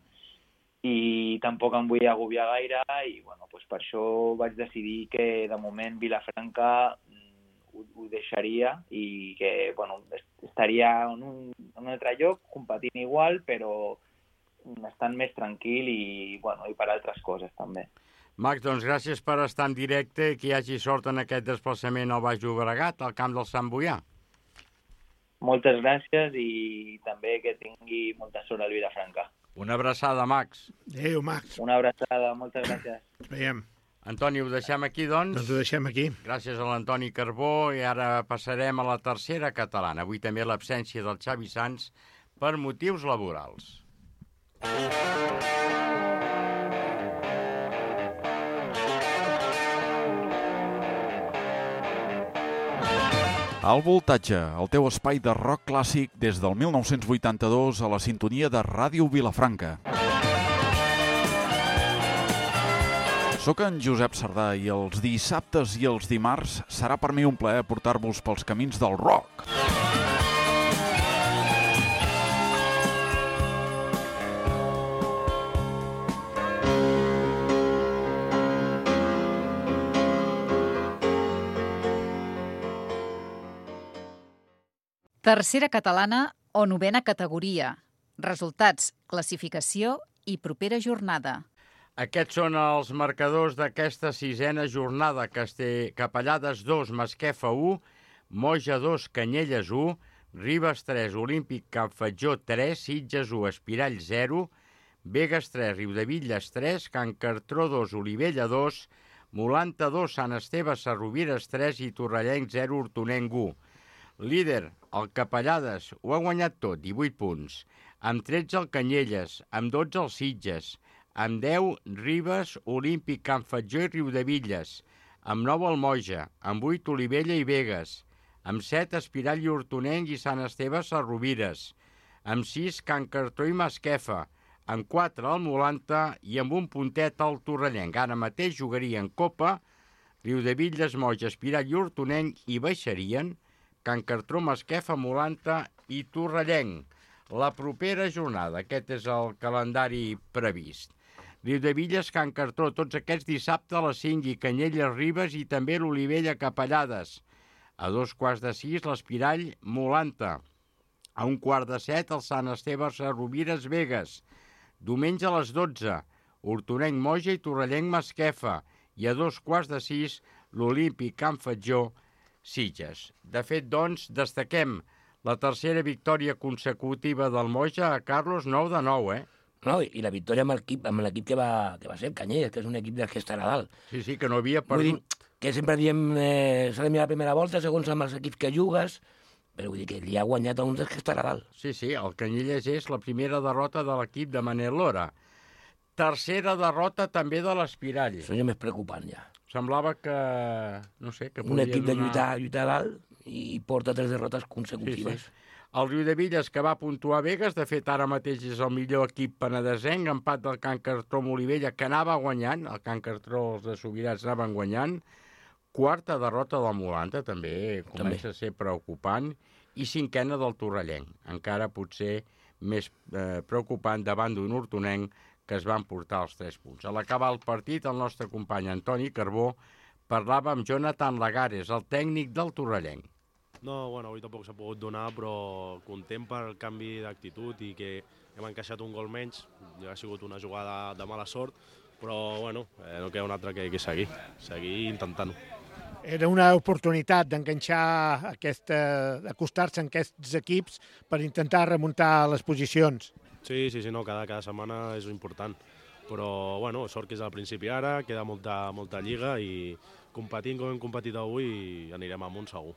i tampoc em vull agobiar gaire i bueno, pues per això vaig decidir que de moment Vilafranca ho deixaria i que bueno, estaria en un altre lloc competint igual però estant més tranquil i per altres coses també.
Max, doncs gràcies per estar en directe i que hi hagi sort en aquest desplaçament al Baix Llobregat, al camp del Sant Boià.
Moltes gràcies i també que tingui molta sort al Vilafranca.
Una abraçada, Max.
Adéu, Max.
Una abraçada, moltes gràcies.
Ens veiem.
Antoni, ho deixem aquí, doncs?
Doncs ho deixem aquí.
Gràcies a l'Antoni Carbó i ara passarem a la tercera catalana. Avui també l'absència del Xavi Sans per motius laborals.
Al Voltatge, el teu espai de rock clàssic des del 1982 a la sintonia de Ràdio Vilafranca. Soc en Josep Sardà i els dissabtes i els dimarts serà per mi un plaer portar-vos pels camins del rock.
Tercera catalana o novena categoria. Resultats, classificació i propera jornada.
Aquests són els marcadors d'aquesta sisena jornada. Capellades 2, Masquefa 1, Moja 2, Canyelles 1, Ribes 3, Olímpic Campfatjó 3, Sitges 1, Espirall 0, Begues 3, Riudevilles 3, Can Cartró 2, Olivella 2, Molanta 2, Sant Esteve Sarrovires 3 i Torrellenc 0, Hortonenc 1. Líder, el Capellades, ho ha guanyat tot, 18 punts. Amb 13 el Canyelles, amb 12 el Sitges, amb 10 Ribes, Olímpic, Campfatjó i Riudevilles, amb 9 el Moja, amb 8 Olivella i Begues, amb 7 Espirall i Hortonenc i Sant Esteve Sarrovires, amb 6 Can Cartró i Masquefa, amb 4 el Molanta i amb un puntet el Torrellenc. Ara mateix jugarien Copa, Riudevilles, Moja, Espirall i Hortonenc i baixarien Can Cartró, Masquefa, Molanta i Torrellenc. La propera jornada, aquest és el calendari previst. Riudevilles, Can Cartró, tots aquests dissabte a les 5 i Canyelles, Ribes i també l'Olivella Capellades. A 2:15 l'Espirall, Molanta. A 1:15 el Sant Esteve Sarrovires, Begues. Diumenge a les 12, Hortonenc, Moja i Torrellenc, Masquefa. I a 2:15 l'Olímpic Campfatjó, Sitges. De fet, doncs, destaquem la tercera victòria consecutiva del Moja a Carlos, 9-9,
No, i la victòria amb l'equip que va ser el Canyelles, que és un equip del que estarà a dalt.
Sí, que no havia perdut.
Vull dir que sempre diem s'ha de mirar la primera volta, segons amb els equips que jugues, però vull dir que li ha guanyat a un dels que estarà a dalt.
Sí, el Canyelles és la primera derrota de l'equip de Manel Lora. Tercera derrota també de l'Espirall.
Això ja més preocupant, ja.
Semblava que, no sé, que
un equip de lluitar a dalt i porta 3 derrotes consecutives.
Sí. El Riudevilles, que va puntuar Begues, de fet ara mateix és el millor equip penedesenc, empat del Can Cartró amb Olivella, que anava guanyant, el Can Cartró, els de Subirats anaven guanyant, quarta derrota del Molanta, també comença a ser preocupant, i cinquena del Torrellenc, encara potser més preocupant davant d'un hortonenc que es van portar els 3 punts. A l'acabar el partit, el nostre company Antoni Carbó parlava amb Jonathan Lagares, el tècnic del Torrellenc.
No, bueno, avui tampoc s'ha pogut donar, però content pel canvi d'actitud i que hem encaixat un gol menys. Ha sigut una jugada de mala sort, però bueno, no queda un altre que seguir intentant-ho.
Era una oportunitat d'enganxar d'acostar-se a aquests equips per intentar remuntar les posicions.
Sí, no, cada setmana és important, però bueno, sort que és al principi ara, queda molta lliga i competint com hem competit avui anirem amunt segur.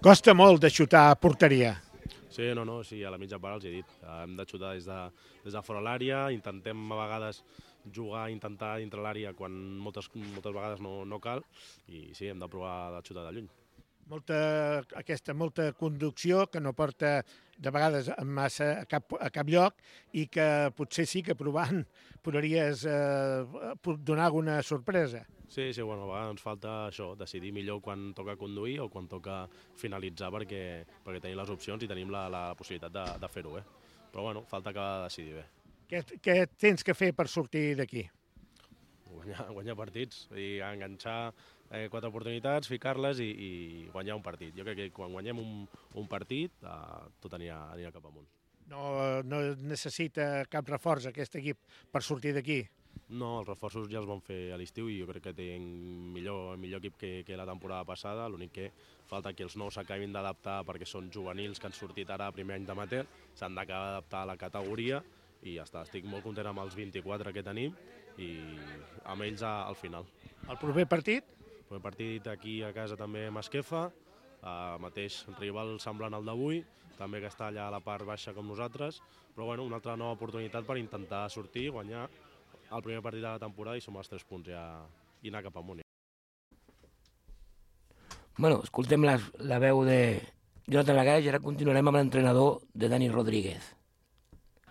Costa molt de xutar a porteria.
Sí, sí, a la mitja part els he dit. Hem de xutar des de fora l'àrea, intentem a vegades intentar dintre l'àrea quan moltes vegades no cal, i sí, hem de provar de xutar de lluny.
molta conducció que no porta de vegades massa a cap lloc i que potser sí que provant podries donar alguna sorpresa.
Sí, bueno, a vegades ens falta això, decidir millor quan toca conduir o quan toca finalitzar perquè tenim les opcions i tenim la possibilitat de fer-ho bé. Però bueno, falta acabar de decidir bé.
Què tens que fer per sortir d'aquí?
Guanyar partits i enganxar 4 oportunitats, ficar-les i guanyar un partit. Jo crec que quan guanyem un partit tot anirà cap amunt.
No necessita cap reforç aquest equip per sortir d'aquí?
No, els reforços ja els vam fer a l'estiu i jo crec que tenen millor equip que la temporada passada. L'únic que falta que els nous s'acabin d'adaptar perquè són juvenils que han sortit ara a primer any d'amateur, s'han d'acabar d'adaptar a la categoria i ja està. Estic molt content amb els 24 que tenim i amb ells al final.
El proper partit?
El proper partit aquí a casa també a Masquefa, mateix rival semblant al d'avui, també que està allà a la part baixa com nosaltres, però bueno, una altra nova oportunitat per intentar sortir, guanyar el primer partit de la temporada i sumar els 3 punts ja i anar cap amunt.
Bueno, escoltem la veu de Jonathan Lagaix i ara continuarem amb l'entrenador de Dani Rodríguez.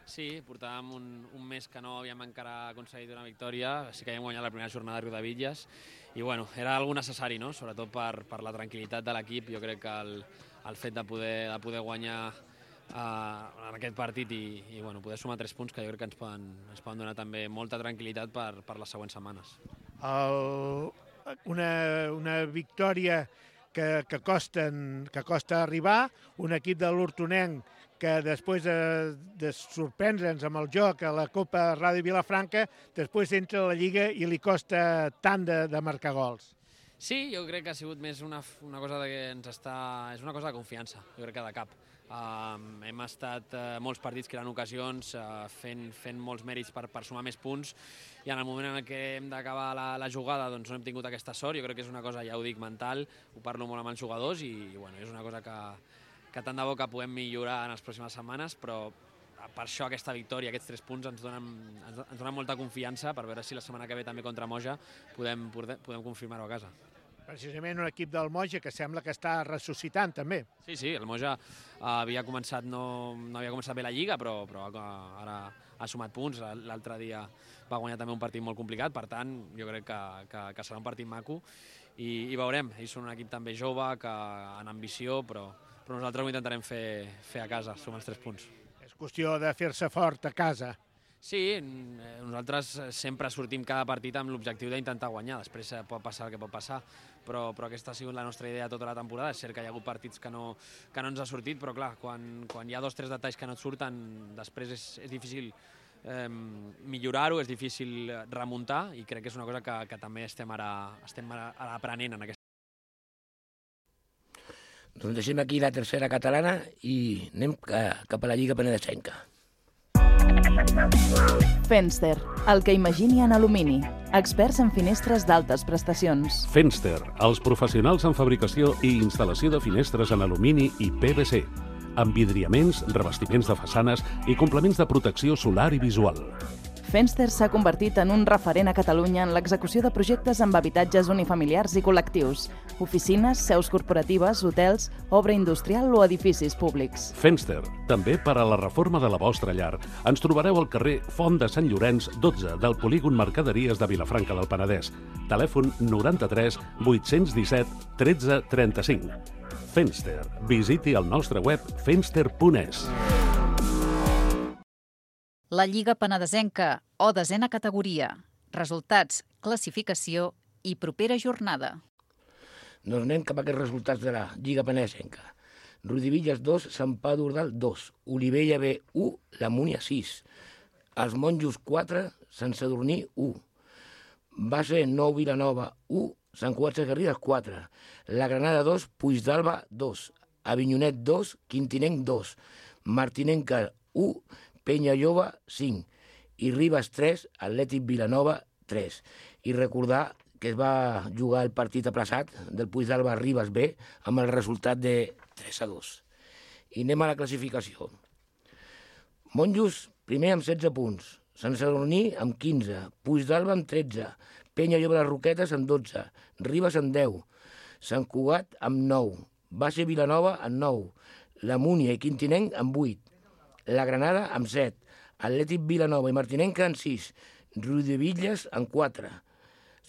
Sí, portàvem un mes que no havíem encara aconseguit una victòria, sí que havíem guanyat la primera jornada de Riudebitlles i bueno, era algo necessari, no? Sobretot per la tranquil·litat de l'equip. Jo crec que el fet de poder guanyar en aquest partit i bueno, poder sumar 3 punts que jo crec que ens poden donar també molta tranquil·litat per les següents setmanes.
Una victòria que costa arribar, un equip de l'Hortonenc que després de sorprendre'ns amb el joc a la Copa Ràdio Vilafranca, després entra a la Lliga i li costa tant de marcar gols.
Sí, jo crec que ha sigut més una cosa és una cosa de confiança, jo crec que de cap. Hem estat molts partits creant ocasions, fent molts mèrits per sumar més punts i en el moment en què hem d'acabar la jugada doncs no hem tingut aquesta sort. Jo crec que és una cosa, ja ho dic, mental, ho parlo molt amb els jugadors i bueno, és una cosa que tant de bo que puguem millorar en les pròximes setmanes, però per això aquesta victòria, aquests 3 punts ens donen molta confiança per veure si la setmana que ve també contra Moja podem confirmar-ho a casa.
Precisament un equip del Moja que sembla que està ressuscitant també.
Sí, el Moja havia començat, no havia començat bé la Lliga, però ara ha sumat punts. L'altre dia va guanyar també un partit molt complicat, per tant jo crec que serà un partit maco i veurem. Ells són un equip també jove, amb ambició, però nosaltres ho intentarem fer a casa, sumar els 3 punts.
És qüestió de fer-se fort a casa.
Sí, nosaltres sempre sortim cada partit amb l'objectiu d'intentar guanyar, després pot passar el que pot passar, però aquesta ha sigut la nostra idea tota la temporada. És cert que hi ha hagut partits que no ens ha sortit, però clar, quan hi ha 2 o 3 detalls que no et surten, després és difícil millorar-ho, és difícil remuntar i crec que és una cosa que també estem ara aprenent en aquesta.
Doncs deixem aquí la tercera catalana i anem cap a la Lliga Penedesenca.
Fenster, el que imagini en alumini. Experts en finestres d'altes prestacions.
Fenster, els professionals en fabricació i instal·lació de finestres en alumini i PVC. Envidriaments, revestiments de façanes i complements de protecció solar i visual.
Fenster s'ha convertit en un referent a Catalunya en l'execució de projectes amb habitatges unifamiliars i col·lectius, oficines, seus corporatives, hotels, obra industrial o edificis públics.
Fenster, també per a la reforma de la vostra llar. Ens trobareu al carrer Font de Sant Llorenç, 12 del polígon Mercaderies de Vilafranca del Penedès. Telèfon 93 817 13 35. Fenster. Visiti el nostre web fenster.es.
La Lliga Penedesenca, o desena categoria. Resultats, classificació i propera jornada.
Doncs anem cap a aquests resultats de la Lliga Penedesenca. Riudebitlles 2, Sant Pau d'Ordal 2, Olivella B 1, la Múnia 6, Els Monjos 4, Sant Sadurní 1, Base 9 Vilanova 1, Sant Cugat Sesgarrigues 4, La Granada 2, Puigdàlber 2, Avinyonet 2, Quintinenc 2, Martinenca 1, Penyalloba 5 i Ribes 3, Atlètic Vilanova 3. I recordar que es va jugar el partit aplaçat del Puigdàlber Ribes B amb el resultat de 3-2. I anem a la classificació. Monjos primer amb 16 punts, Sant Sadurní amb 15, Puigdàlber amb 13, Penyalloba de les Roquetes amb 12, Ribes amb 10, Sant Cugat amb 9, Base Vilanova amb 9, la Múnia i Quintinenc amb 8, la Granada amb 7, Atlètic Vilanova i Martinenca amb 6, Riudebitlles amb 4,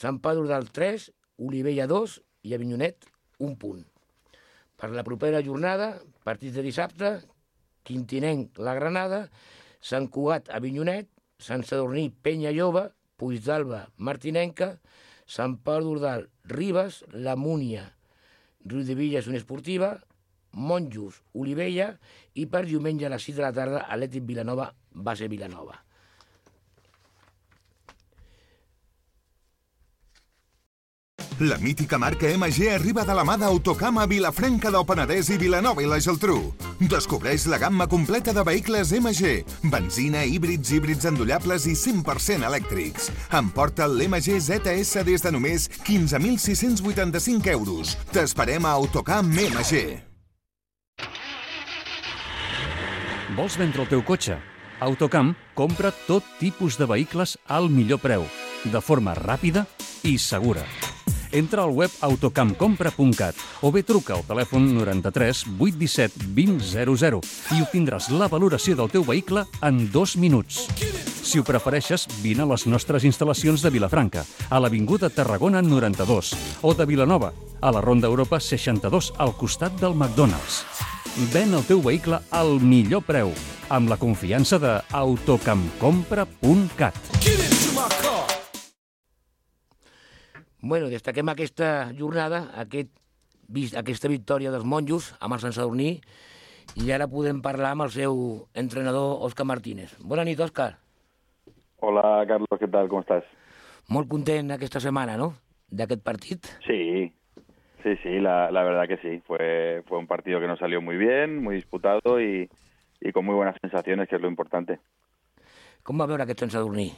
Sant Pau d'Ordal 3, Olivella 2 i Avinyonet 1 punt. Per la propera jornada, partits de dissabte, Quintinenc, la Granada, Sant Cugat, Avinyonet, Sant Sadurní, Penya Lloba, Puigdàlber, Martinenca, Sant Pau d'Ordal, Ribes, la Múnia, Riudebitlles, Unió Esportiva, Monjos, Olivella i per diumenge a les 6 de la tarda, Atlètic Vilanova, Base Vilanova.
La mítica marca MG arriba de la mà d'Autocam a Vilafranca del Penedès i Vilanova i la Geltrú. Descobreix la gamma completa de vehicles MG, benzina, híbrids endollables i 100% elèctrics. Emporta l'MG ZS des de només 15.685 euros. T'esperem a Autocam MG.
Vols vendre el teu cotxe? Autocam compra tot tipus de vehicles al millor preu, de forma ràpida i segura. Entra al web autocamcompra.cat o bé truca al telèfon 93 817 2000 i obtindràs la valoració del teu vehicle en 2 minuts. Si ho prefereixes, vine a les nostres instal·lacions de Vilafranca, a l'Avinguda Tarragona 92, o de Vilanova, a la Ronda Europa 62, al costat del McDonald's. Ven el teu vehicle al millor preu, amb la confiança de autocamcompra.cat.
Bueno, destaquem aquesta jornada, aquesta victòria dels monjos amb el Sant Sadurní, i ara podem parlar amb el seu entrenador, Òscar Martínez. Bona nit, Òscar.
Hola, Carlos, ¿qué tal? ¿Cómo estás?
Molt content aquesta setmana, ¿no?, d'aquest partit.
Sí, la verdad que sí. Fue un partido que nos salió muy bien, muy disputado y con muy buenas sensaciones, que es lo importante.
Com va veure aquest Sant Sadurní?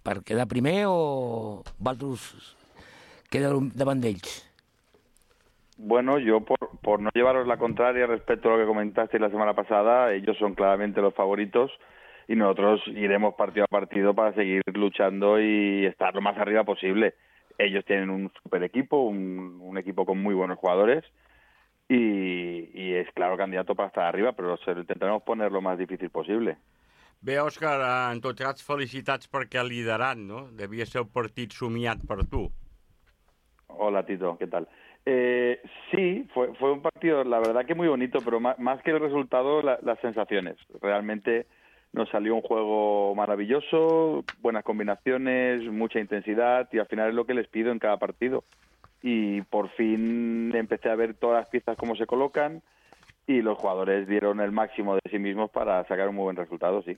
Per quedar primer o vosaltres quedar davant d'ells?
Bueno, yo por no llevaros la contraria respecto a lo que comentasteis la semana pasada, ellos son claramente los favoritos y nosotros iremos partido a partido para seguir luchando y estar lo más arriba posible. Ellos tienen un super equipo, un equipo con muy buenos jugadores y es claro candidato para estar arriba, pero intentaremos poner lo más difícil posible.
Bé, Òscar, en tot cas, felicitats perquè liderant, no? Devia ser un partit somiat per tu.
Hola, Tito, ¿qué tal? Sí, fue un partido, la verdad que muy bonito, pero más que el resultado, las sensaciones. Realmente nos salió un juego maravilloso, buenas combinaciones, mucha intensidad, y al final es lo que les pido en cada partido. Y por fin empecé a ver todas las piezas cómo se colocan, y los jugadores dieron el máximo de sí mismos para sacar un muy buen resultado, sí.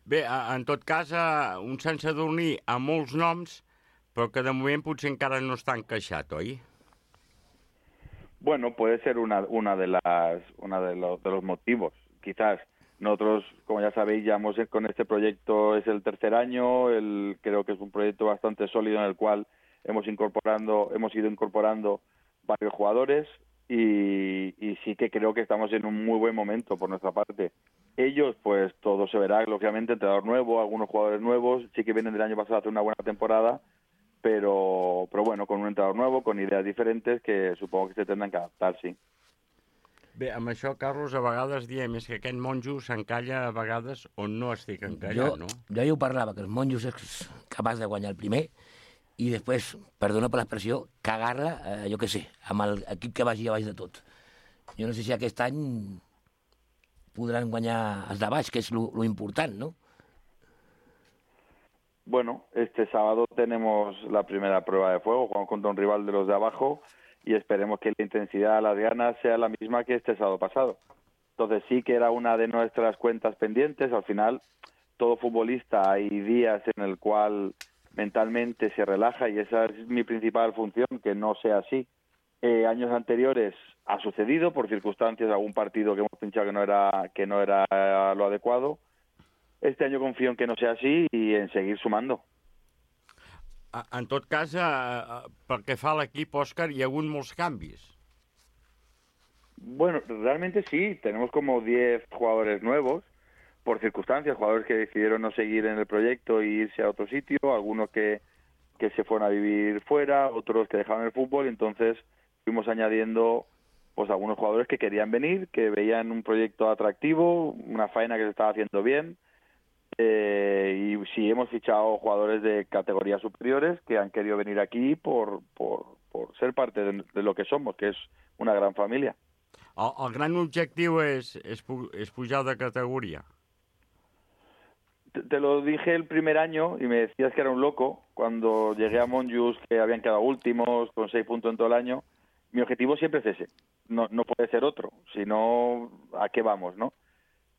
Bé, en tot cas, un Sant Sadurní amb molts noms, però que de moment potser encara no està encaixat, oi?
Bueno, puede ser uno de los motivos. Quizás nosotros, como ya sabéis, llevamos con este proyecto, es el tercer año, creo que es un proyecto bastante sólido en el cual hemos ido incorporando varios jugadores y sí que creo que estamos en un muy buen momento por nuestra parte. Ellos, pues todo se verá, lógicamente, entrenador nuevo, algunos jugadores nuevos, sí que vienen del año pasado a hacer una buena temporada, pero bueno, con un entrenador nuevo, con ideas diferentes, que supongo que se tendrán que adaptar, sí.
Bé, amb això, Carlos, a vegades diem que aquest monjo s'encalla a vegades on no estic encallat, no?
Jo ja ho parlava, que els monjos és capaç de guanyar el primer i després, perdona per l'expressió, cagar-la, jo què sé, amb l'equip que vagi a baix de tot. Jo no sé si aquest any podran guanyar els de baix, que és lo important, ¿no?
Bueno, este sábado tenemos la primera prueba de fuego, jugamos contra un rival de los de abajo y esperemos que la intensidad, las ganas sea la misma que este sábado pasado. Entonces sí que era una de nuestras cuentas pendientes. Al final, todo futbolista hay días en el cual mentalmente se relaja y esa es mi principal función, que no sea así. Años anteriores ha sucedido por circunstancias, algún partido que hemos pinchado que no era lo adecuado. Este año confío en que no sea así y en seguir sumando.
En tot cas, pel que fa a l'equip, Òscar, hi ha hagut molts canvis.
Bueno, realmente sí, tenemos como 10 jugadores nuevos, por circunstancias, jugadores que decidieron no seguir en el proyecto e irse a otro sitio, algunos que se fueron a vivir fuera, otros que dejaron el fútbol, entonces fuimos añadiendo pues algunos jugadores que querían venir, que veían un proyecto atractivo, una faena que se estaba haciendo bien, y sí hemos fichado jugadores de categorías superiores que han querido venir aquí por ser parte de lo que somos, que es una gran familia.
El gran objectiu és pujar de categoria.
Te lo dije el primer año y me decías que era un loco cuando llegué a Monjos, que habían quedado últimos con 6 puntos en todo el año. Mi objetivo siempre es ese, no puede ser otro, si no, ¿a qué vamos, no?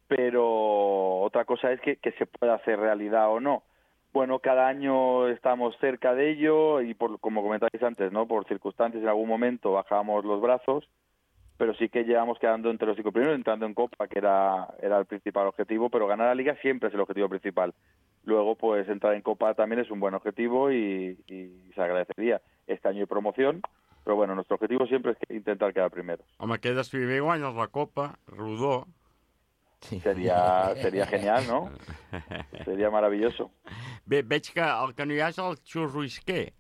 Pero otra cosa es que se pueda hacer realidad o no. Bueno, cada año estamos cerca de ello y como comentáis antes, ¿no? Por circunstancias en algún momento bajábamos los brazos, pero sí que llevamos quedando entre los 5 primeros, entrando en Copa, que era el principal objetivo, pero ganar la Liga siempre es el objetivo principal. Luego, pues entrar en Copa también es un buen objetivo y se agradecería. Este año hay promoción, pero bueno, nuestro objetivo siempre es intentar quedar primeros.
Home, quedes primer i guanyes la Copa, rodó.
Sí. Sería genial, ¿no? Seria maravilloso.
Bé, veig que el que no hi ha és el Xus Ruisquer.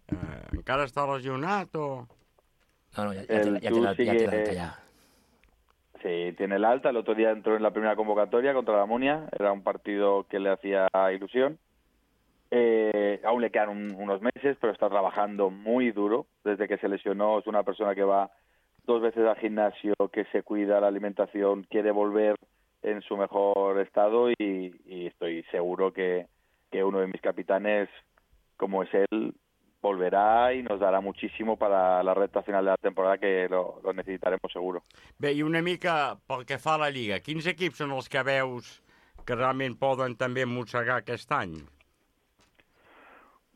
Encara està lesionat o...?
No, ya tiene el alta ya.
Sí, tiene el alta. El otro día entró en la primera convocatoria contra la Munia. Era un partido que le hacía ilusión. Aún le quedan unos meses, pero está trabajando muy duro. Desde que se lesionó, es una persona que va 2 veces al gimnasio, que se cuida la alimentación, quiere volver en su mejor estado y estoy seguro que uno de mis capitanes, como es él, volverá y nos dará muchísimo para la recta final de la temporada, que lo necesitaremos seguro.
Bé, i una mica pel que fa a la Lliga, quins equips són els que veus que realment poden també mossegar aquest any?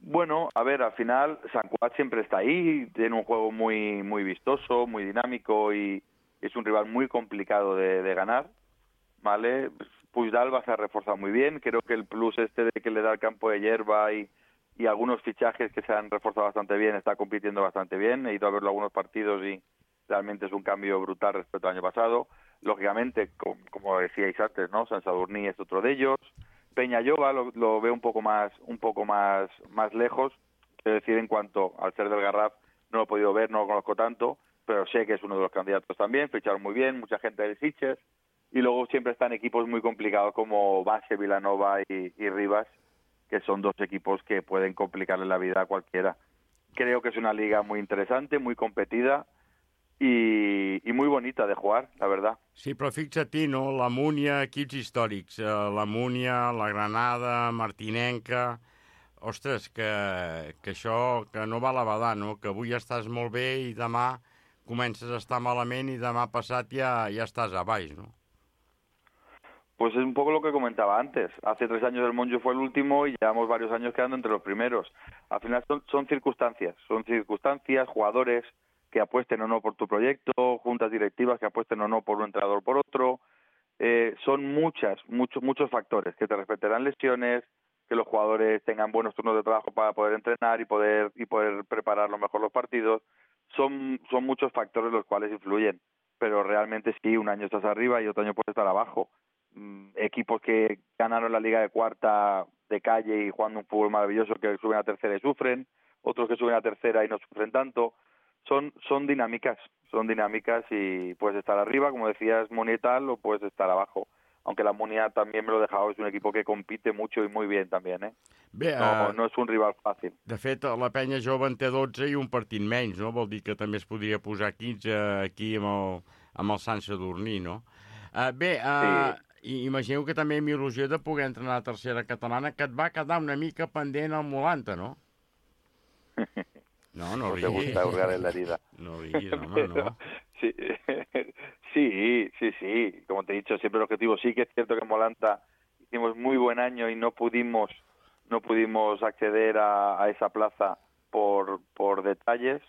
Bueno, a ver, al final San Cugat siempre está ahí, tiene un juego muy, muy vistoso, muy dinámico y es un rival muy complicado de ganar, ¿vale? Puigdàlbega se ha reforzado muy bien, creo que el plus de que le da el campo de hierba y algunos fichajes que se han reforzado bastante bien, está compitiendo bastante bien, he ido a verlo algunos partidos y realmente es un cambio brutal respecto al año pasado. Lógicamente, como decíais antes, ¿no? Sant Sadurní es otro de ellos. Peñalloba lo veo un poco más lejos, quiero decir, en cuanto al ser del Garraf no lo he podido ver, no lo conozco tanto, pero sé que es uno de los candidatos también, ficharon muy bien, mucha gente del Sitges, y luego siempre están equipos muy complicados como Base, Vilanova y Rivas, que son 2 equipos que pueden complicarle la vida a cualquiera. Creo que es una liga muy interesante, muy competida y muy bonita de jugar, la verdad.
Sí, però fixa-t'hi, no? La Múnia, equips històrics. La Múnia, la Granada, Martinenca... Ostres, que això que no va a la badar, no? Que avui estàs molt bé i demà comences a estar malament i demà passat ja estàs a baix, no?
Pues es un poco lo que comentaba antes. Hace 3 años el Monjo fue el último y llevamos varios años quedando entre los primeros. Al final son circunstancias, jugadores que apuesten o no por tu proyecto, juntas directivas que apuesten o no por un entrenador o por otro. Son muchos factores, que te respetarán lesiones, que los jugadores tengan buenos turnos de trabajo para poder entrenar y poder preparar lo mejor los partidos. Son muchos factores los cuales influyen, pero realmente sí, un año estás arriba y otro año puedes estar abajo. Equipos que ganaron la Liga de Cuarta de calle y jugando un fútbol maravilloso, que suben a tercera y sufren, otros que suben a tercera y no sufren tanto. Son dinámicas y puedes estar arriba, como decías, Munia y tal, o puedes estar abajo. Aunque la Munia también me lo he dejado, es un equipo que compite mucho y muy bien también, ¿eh?
Bé,
no és un rival fàcil.
De fet, la penya jove en té 12 i un partit menys, no? Vol dir que també es podria posar 15 aquí amb el Sant Sadurní, no? Imagineu que també amb il·lusió de poder entrenar a tercera catalana, que et va quedar una mica pendent al Molanta, no? No
te gusta hurgar en la herida.
No riguis, home, no.
Sí, como te he dicho, siempre el objetivo. Sí que es cierto que en Molanta hicimos muy buen año y no pudimos acceder a esa plaza por detalles,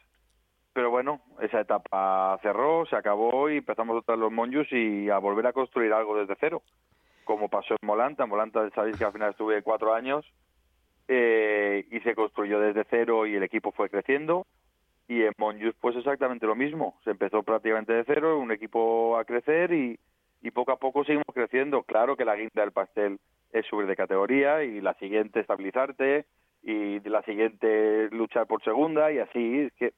pero bueno, esa etapa cerró, se acabó y empezamos otra vez los Monjos y a volver a construir algo desde cero, como pasó en Molanta. En Molanta sabéis que al final estuve 4 años y se construyó desde cero y el equipo fue creciendo. Y en Monjos pues exactamente lo mismo, se empezó prácticamente de cero, un equipo a crecer y poco a poco seguimos creciendo. Claro que la guinda del pastel es subir de categoría y la siguiente estabilizarte y la siguiente luchar por segunda y así. Es que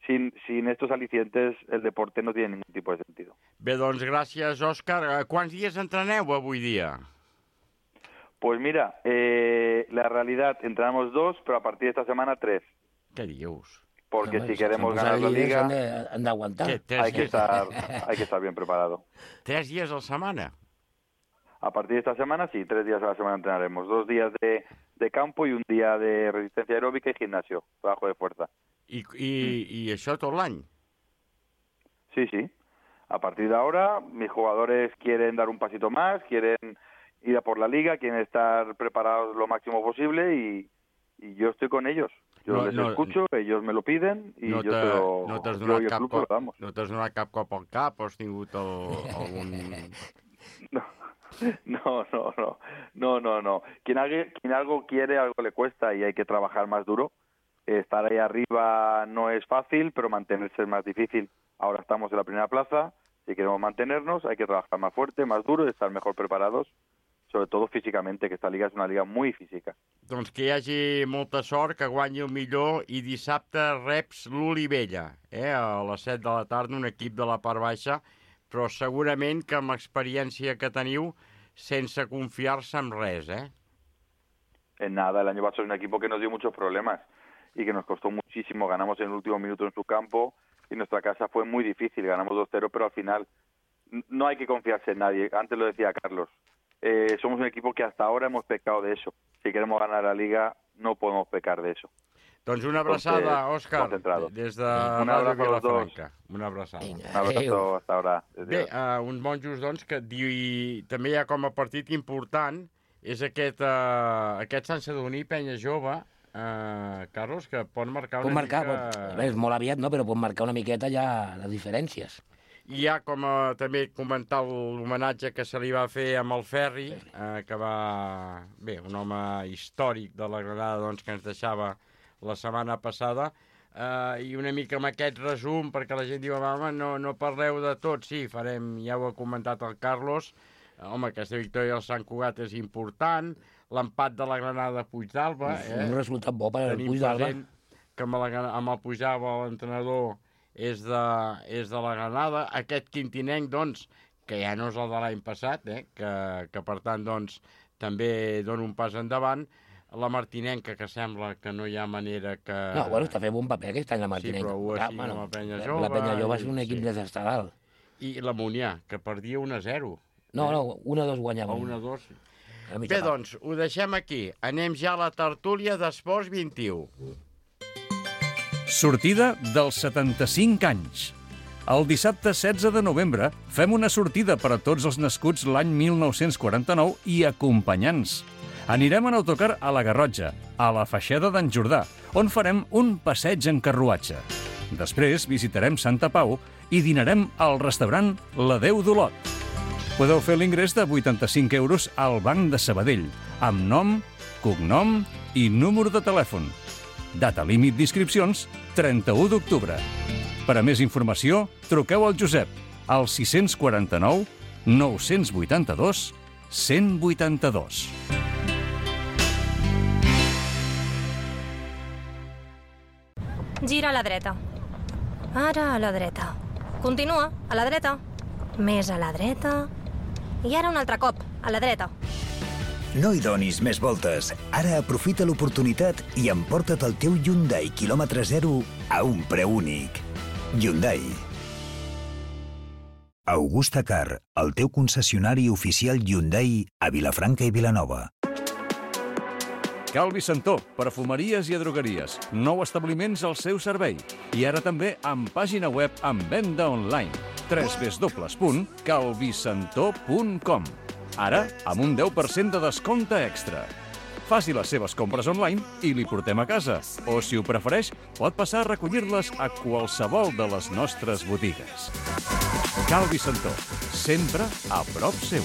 sin estos alicientes el deporte no tiene ningún tipo de sentido.
Bé, doncs gràcies, Òscar. Quants dies entreneu avui dia?
Pues mira, la realidad, entrenamos 2, pero a partir de esta semana 3.
¿Qué dius?
Porque si queremos ganar la Liga,
han de aguantar.
hay que estar bien preparado.
3 días a la setmana?
A partir de esta semana, sí, 3 días a la semana entrenaremos. 2 días de campo y un día de resistencia aeróbica y gimnasio, trabajo de fuerza.
¿Y això tot l'any?
Sí, sí. A partir de ahora, mis jugadores quieren dar un pasito más, quieren ir a por la Liga, quieren estar preparados lo máximo posible y yo estoy con ellos. Yo les escucho, ellos me lo piden y yo
t'has donat cap cop al cap o has tingut algun...
No. Quien algo quiere, algo le cuesta y hay que trabajar más duro. Estar ahí arriba no es fácil, pero mantenerse es más difícil. Ahora estamos en la primera plaza, si queremos mantenernos hay que trabajar más fuerte, más duro y estar mejor preparados, sobre todo físicamente, que esta liga és una liga muy física.
Doncs que hi hagi molta sort, que guanyi el millor, i dissabte reps l'Olivella, a les 7 de la tarda, un equip de la part baixa, però segurament que amb l'experiència que teniu, sense confiar-se en res,
En nada, el año pasado es un equipo que nos dio muchos problemas y que nos costó muchísimo. Ganamos en el último minuto en su campo y nuestra casa fue muy difícil. Ganamos 2-0, pero al final no hay que confiarse en nadie. Antes lo decía Carlos. Somos un equipo que hasta ahora hemos pecado de eso. Si queremos ganar la Liga, no podemos pecar de eso.
Doncs una abraçada, Òscar, des de Ràdio Vilafranca. Una abraçada.
Un abrazo hasta ahora.
Bé, uns monjos, doncs, que també hi ha com a partit important, és aquest Sant Sadurní Penya Jove, Carlos, que pot marcar una mica...
És molt aviat, no?, però pot marcar una miqueta ja les diferències.
I hi ha com també comentar l'homenatge que se li va fer amb el Ferri, que va... Bé, un home històric de la Granada, doncs, que ens deixava la setmana passada, i una mica amb aquest resum, perquè la gent diu, home, no parleu de tot. Sí, farem, ja ho ha comentat el Carlos, home, aquesta victòria del Sant Cugat és important, l'empat de la Granada Puigdàlber...
Un resultat bo per al Puigdàlber.
Tenim present que amb el Puigdàlber l'entrenador és de la Granada. Aquest quintinenc, doncs, que ja no és el de l'any passat, que per tant, doncs, també dona un pas endavant. La Martinenca, que sembla que no hi ha manera que...
No, bueno, està fent bon paper aquest any la Martinenca.
Sí, però ho ha sigut amb la Penya Jove.
La Penya Jove és un equip desestradal.
I la Munià, que perdia 1-0.
No, 1-2 guanyava.
1-2. Bé, doncs, ho deixem aquí. Anem ja a la tertúlia d'Esports 21.
Sortida dels 75 anys. El dissabte 16 de novembre fem una sortida per a tots els nascuts l'any 1949 i acompanyants. Anirem en autocar a la Garrotxa, a la Feixeda d'en Jordà, on farem un passeig en carruatge. Després visitarem Santa Pau i dinarem al restaurant La Déu d'Olot. Podeu fer l'ingrés de 85 € al Banc de Sabadell, amb nom, cognom i número de telèfon. Data límit d'inscripcions, 31 d'octubre. Per a més informació, truqueu al Josep, al 649 982 182.
Gira a la dreta. Ara a la dreta. Continua, a la dreta. Més a la dreta. I ara un altre cop, a la dreta.
No hi donis més voltes. Ara aprofita l'oportunitat i emporta't el teu Hyundai quilòmetre zero a un preu únic. Hyundai. Augusta Car, el teu concessionari oficial Hyundai a Vilafranca i Vilanova.
Calvi Santó, perfumeries i drogueries. 9 establiments al seu servei. I ara també amb pàgina web amb venda online. www.calvisantó.com. Ara, amb un 10% de descompte extra. Faci les seves compres online i li portem a casa. O, si ho prefereix, pot passar a recollir-les a qualsevol de les nostres botigues. Calvi Santó, sempre a prop seu.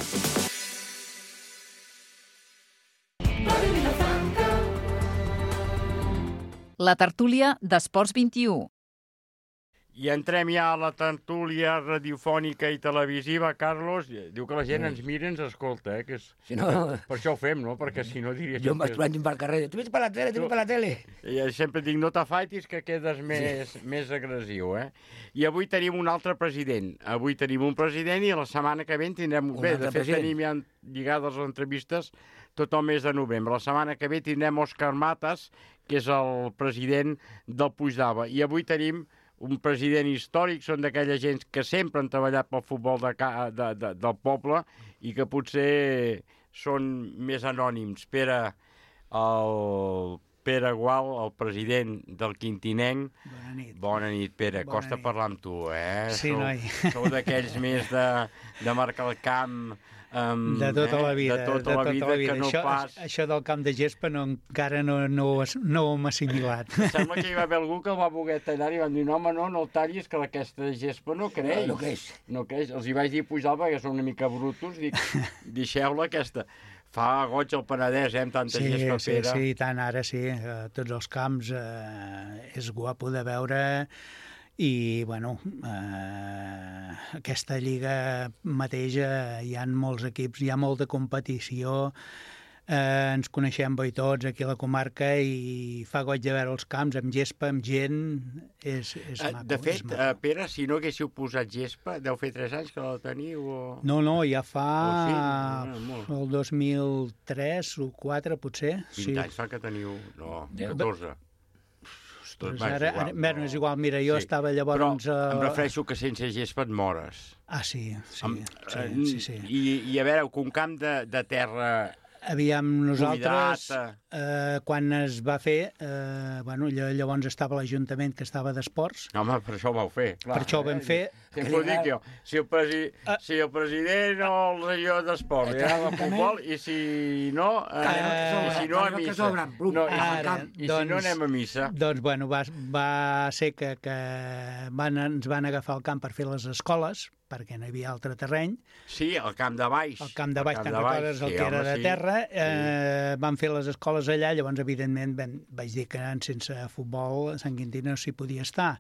La tertúlia d'Esports 21.
I entrem ja a la tertúlia radiofònica i televisiva, Carlos. Diu que la gent ens mira i ens escolta, que és...
Si no...
Per això ho fem, no? Perquè si no diria...
Jo em vaig trobant pel carrer, tu vés per la tele,
I sempre dic, no t'afaitis, que quedes més agressiu, I avui tenim un altre president. Avui tenim un president i la setmana que ve en tindrem... Bé, de fet, tenim ja lligades les entrevistes tot el mes de novembre. La setmana que ve tindrem Òscar Matas, que és el president del Puigdava. I avui tenim un president històric, són d'aquella gent que sempre han treballat pel futbol del poble i que potser són més anònims. Pere Gual, el president del Quintinenc.
Bona nit.
Bona nit, Pere. Costa parlar amb tu,
Sí, noi.
Sou d'aquells més de marcar el camp...
de tota la vida.
De tota la vida, que no pas...
Això del camp de gespa encara no ho hem assimilat.
Sembla que hi va haver algú que el va voler tallar i van dir, no, home, no el tallis, que aquesta gespa no creix. No creix. Els hi vaig dir pujar perquè són una mica brutos, dic, deixeu-la aquesta. Fa goig el Penedès, amb tanta gespa, Pere.
Sí, tant, ara sí. Tots els camps és guapo de veure. I, bueno, aquesta lliga mateix hi ha molts equips, hi ha molta competició, ens coneixem bé tots aquí a la comarca i fa goig de veure els camps amb gespa, amb gent, és maco.
De fet, Pere, si no haguéssiu posat gespa, deu fer 3 anys que la teniu? O...
No, ja fa el 2003 o 4, potser.
20 anys fa que teniu... No, 14.
Doncs ara, és igual, mira, jo estava llavors...
Però em refereixo que sense gespa et mores.
Ah, sí.
I a veure, un camp de terra...
Aviam, nosaltres, quan es va fer, llavors estava l'Ajuntament que estava d'esports.
Home, per això ho vau fer, clar.
Per això ho vam fer.
Sempre ho dic jo, si el president o el regidor d'esports anava a futbol, i si no, a missa. I si no anem a missa.
Doncs, bueno, va ser que ens van agafar el camp per fer les escoles, perquè no hi havia altre terreny.
Sí, el camp de baix.
El camp de baix, te'n recordes, el que era de terra. Van fer les escoles allà, llavors, evidentment, vaig dir que sense futbol a Sant Quintí no s'hi podia estar.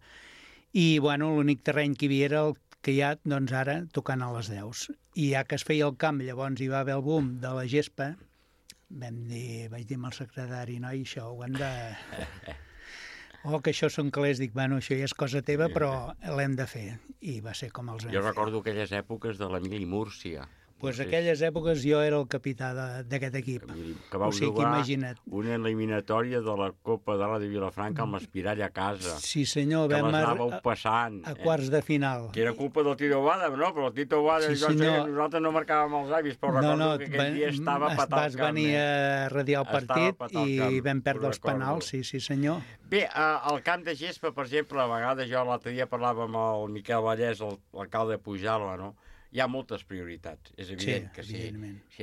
I, bueno, l'únic terreny que hi havia era el que hi ha, doncs, ara, tocant a les 10. I ja que es feia el camp, llavors hi va haver el boom de la gespa, vaig dir amb el secretari, noi, això ho hem de... que això són calés, dic, bueno, això ja és cosa teva, però l'hem de fer. I va ser com els vam fer.
Jo recordo aquelles èpoques de l'Emili Múrcia.
Doncs aquelles èpoques jo era el capità d'aquest equip.
Que vau jugar una eliminatòria de la Copa de la de Vilafranca amb l'Espirall a casa.
Sí, senyor.
Que les anàveu passant.
A quarts de final.
Que era culpa del Tito Boada, no? Però el Tito Boada, nosaltres no marcàvem els avis, però recordo que aquell dia estava patat al camp.
Vas venir a radiar el partit i vam perdre els penals, sí, senyor.
Bé, al camp de gespa, per exemple, a vegades jo l'altre dia parlava amb el Miquel Vallès, l'alcalde de Pujalt, no? Hi ha moltes prioritats, és evident que si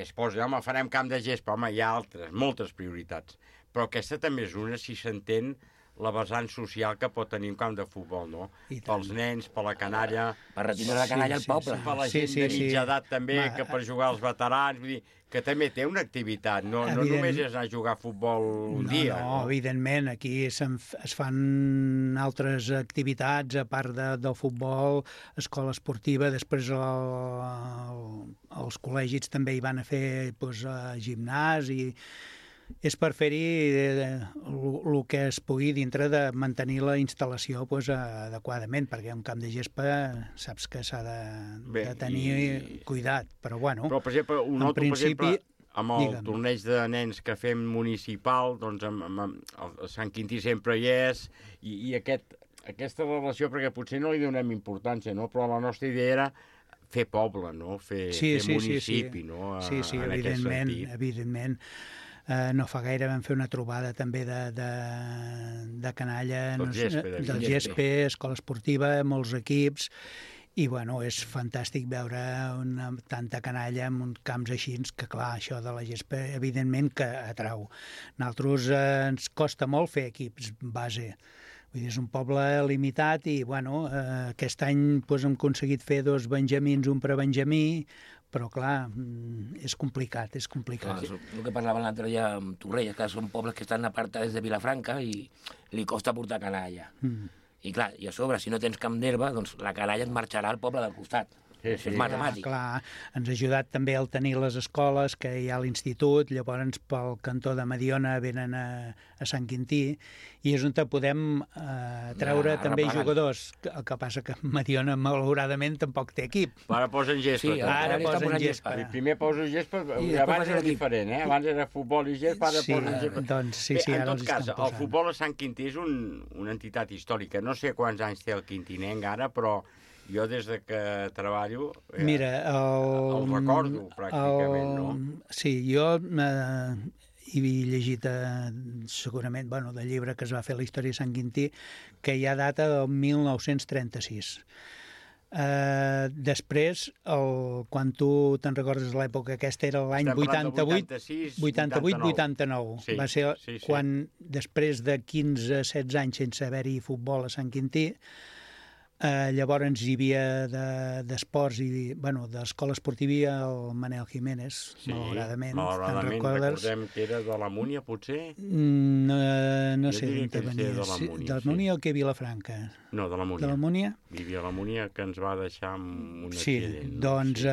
es posa, home, farem camp de gespa, home, hi ha moltes prioritats, però aquesta també és una, si s'entén, la vessant social que pot tenir un camp de futbol, no? Pels nens, per la canalla...
Per retirar la canalla al poble.
Per la gent de mitja edat també, que per jugar als veterans, vull dir, que també té una activitat, no només és anar a jugar a futbol un dia.
No, evidentment, aquí es fan altres activitats, a part del futbol, escola esportiva, després els col·legis també hi van a fer gimnàs i és per fer-hi el que es pugui dintre de mantenir la instal·lació adequadament, perquè un camp de gespa saps que s'ha de tenir cuidat, però bueno,
però, per exemple, per exemple, amb el torneig de nens que fem municipal, doncs a Sant Quintí sempre hi és, i aquesta relació, perquè potser no li donem importància, no? Però la nostra idea era fer poble, no? Fer municipi, no?
Sí, evidentment. No fa gaire vam fer una trobada també de canalla, del gespe, escola esportiva, molts equips, i bueno, és fantàstic veure tanta canalla en uns camps així, que clar, això de la gespa evidentment que atrau. Nosaltres ens costa molt fer equips base, vull dir, és un poble limitat i bueno, aquest any hem aconseguit fer 2 benjamins, un prebenjamí, però clar, és complicat.
Clar, el que parlava l'altre dia amb Torrelles, que són pobles que estan apartats de Vilafranca i li costa portar canalla. I clar, i a sobre, si no tens camp d'herba, doncs la canalla et marxarà al poble del costat. Això és matemàtic.
Clar, ens ha ajudat també el tenir les escoles, que hi ha a l'institut, llavors pel cantó de Mediona venen a Sant Quintí, i és on podem treure també jugadors. El que passa que Mediona, malauradament, tampoc té equip.
Ara posen gespa.
Sí, ara posen gespa.
Primer poso gespa, abans era diferent, abans era futbol i gespa, ara posen gespa.
Doncs sí,
en tot cas, el futbol a Sant Quintí és una entitat històrica. No sé quants anys té el quintinenc ara, però jo des de que treballo
mira,
el recordo pràcticament, no?
Sí, jo he llegit segurament, del llibre que es va fer la història de Sant Quintí, que hi ha data del 1936. Després, quan tu te'n recordes l'època aquesta, era l'any 88-89. Va ser quan, després de 15-16 anys sense haver-hi futbol a Sant Quintí, llavors hi havia d'esports i d'escola esportiva el Manel Jiménez, malauradament.
Recordem que era de la Múnia, potser?
No sé d'on venia. De la Múnia o que Vilafranca?
No, de la Múnia.
De la Múnia?
Vivia a la Múnia, que ens va deixar amb un accident.
Sí, doncs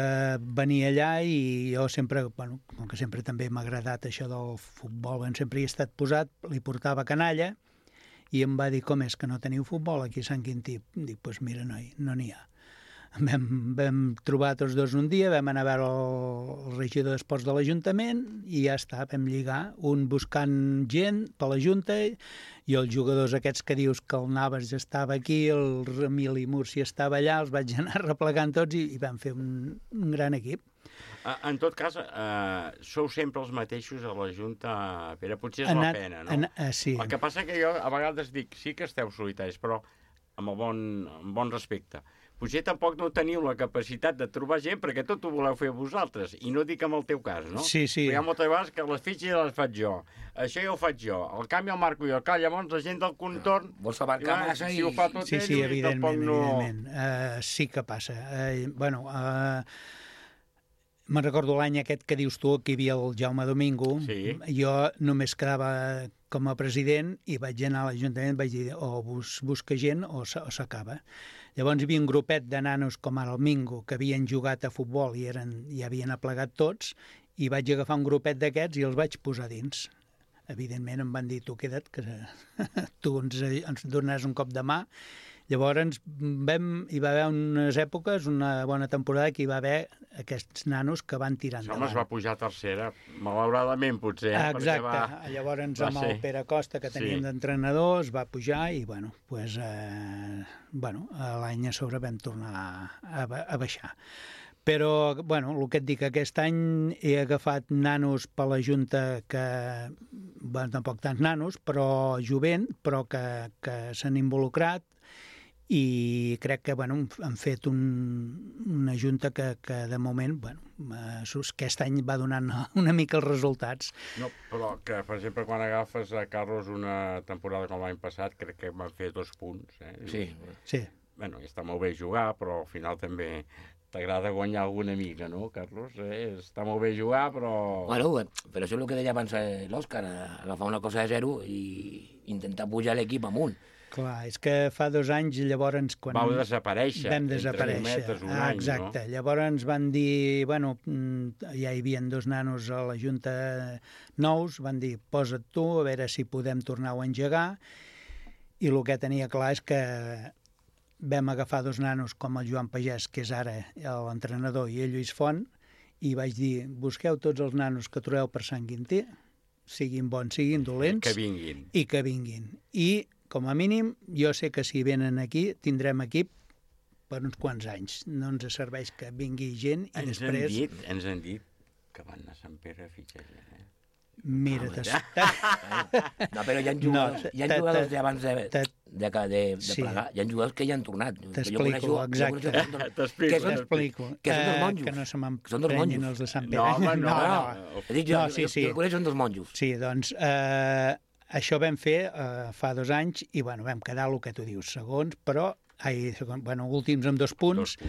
venia allà i jo sempre, com que sempre també m'ha agradat això del futbol, sempre hi he estat posat, li portava canalla, i em va dir, com és que no teniu futbol aquí a Sant Quintí? Dic, doncs mira, noi, no n'hi ha. Vam trobar tots dos un dia, vam anar a veure el regidor d'esports de l'Ajuntament i ja està, vam lligar, un buscant gent per la Junta i els jugadors aquests que dius que el Navas ja estava aquí, el Emili Múrcia estava allà, els vaig anar replegant tots i vam fer un gran equip.
En tot cas, sou sempre els mateixos a la Junta, Pere, potser és la pena, no?
Sí.
El que passa que jo a vegades dic, sí que esteu solitaris, però amb bon respecte. Potser tampoc no teniu la capacitat de trobar gent perquè tot ho voleu fer vosaltres, i no dic en el teu cas, no?
Sí.
Però hi ha moltes vegades que les fitxes les faig jo, això ja ho faig jo, el canvi el marco jo, llavors la gent del contorn...
Vols abarcar massa
i... Si ho fa tot ell,
sí, evidentment. Sí que passa. Me'n recordo l'any aquest que dius tu, que hi havia el Jaume Domingo.
Sí.
Jo només quedava com a president i vaig anar a l'Ajuntament i vaig dir o busca gent o s'acaba. Llavors hi havia un grupet de nanos com ara el Mingo que havien jugat a futbol i ja havien aplegat tots i vaig agafar un grupet d'aquests i els vaig posar dins. Evidentment em van dir, tu queda't, que tu ens donaràs un cop de mà. Llavors hi va haver unes èpoques, una bona temporada, que hi va haver aquests nanos que van tirar endavant.
Home, es va pujar a tercera, malauradament potser.
Exacte, llavors amb el Pere Costa, que teníem d'entrenador, es va pujar i, l'any a sobre vam tornar a baixar. Però, el que et dic, aquest any he agafat nanos per la Junta que, tampoc tants nanos, però jovent, però que s'han involucrat, i crec que han fet una junta que de moment, aquest any va donant una mica els resultats.
No, però que, per exemple, quan agafes a Carlos una temporada com l'any passat, crec que van fer 2 punts.
Sí.
Està molt bé jugar, però al final també t'agrada guanyar alguna mica, no, Carlos? Està molt bé jugar, però...
Però això és el que deia abans l'Òscar, agafar una cosa de zero i intentar pujar l'equip amunt.
Clar, és que fa 2 anys, llavors...
Vau desaparèixer.
Vam desaparèixer.
Entre un any,
exacte. No? Llavors ens van dir, ja hi havia 2 nanos a la Junta nous, van dir, posa't tu, a veure si podem tornar-ho a engegar, i el que tenia clar és que vam agafar 2 nanos com el Joan Pagès, que és ara l'entrenador, i el Lluís Font, i vaig dir, busqueu tots els nanos que trobeu per Sant Quintí, siguin bons, siguin dolents, i que vinguin. I com a mínim, jo sé que si venen aquí tindrem equip per uns quants anys. No ens serveix que vingui gent i després...
Ens han dit que van a Sant Pere a fitxar gent,
Mira,
no, però hi ha jugadors d'abans de plegar, hi ha jugadors que ja han tornat.
T'explico, exacte. T'explico.
Que són dos monjos.
Que no se m'emprenyin els de Sant Pere.
No. Sí. Són dos monjos.
Sí, doncs... Això vam fer fa 2 anys i vam quedar el que tu dius, segons, però últims amb 2 punts,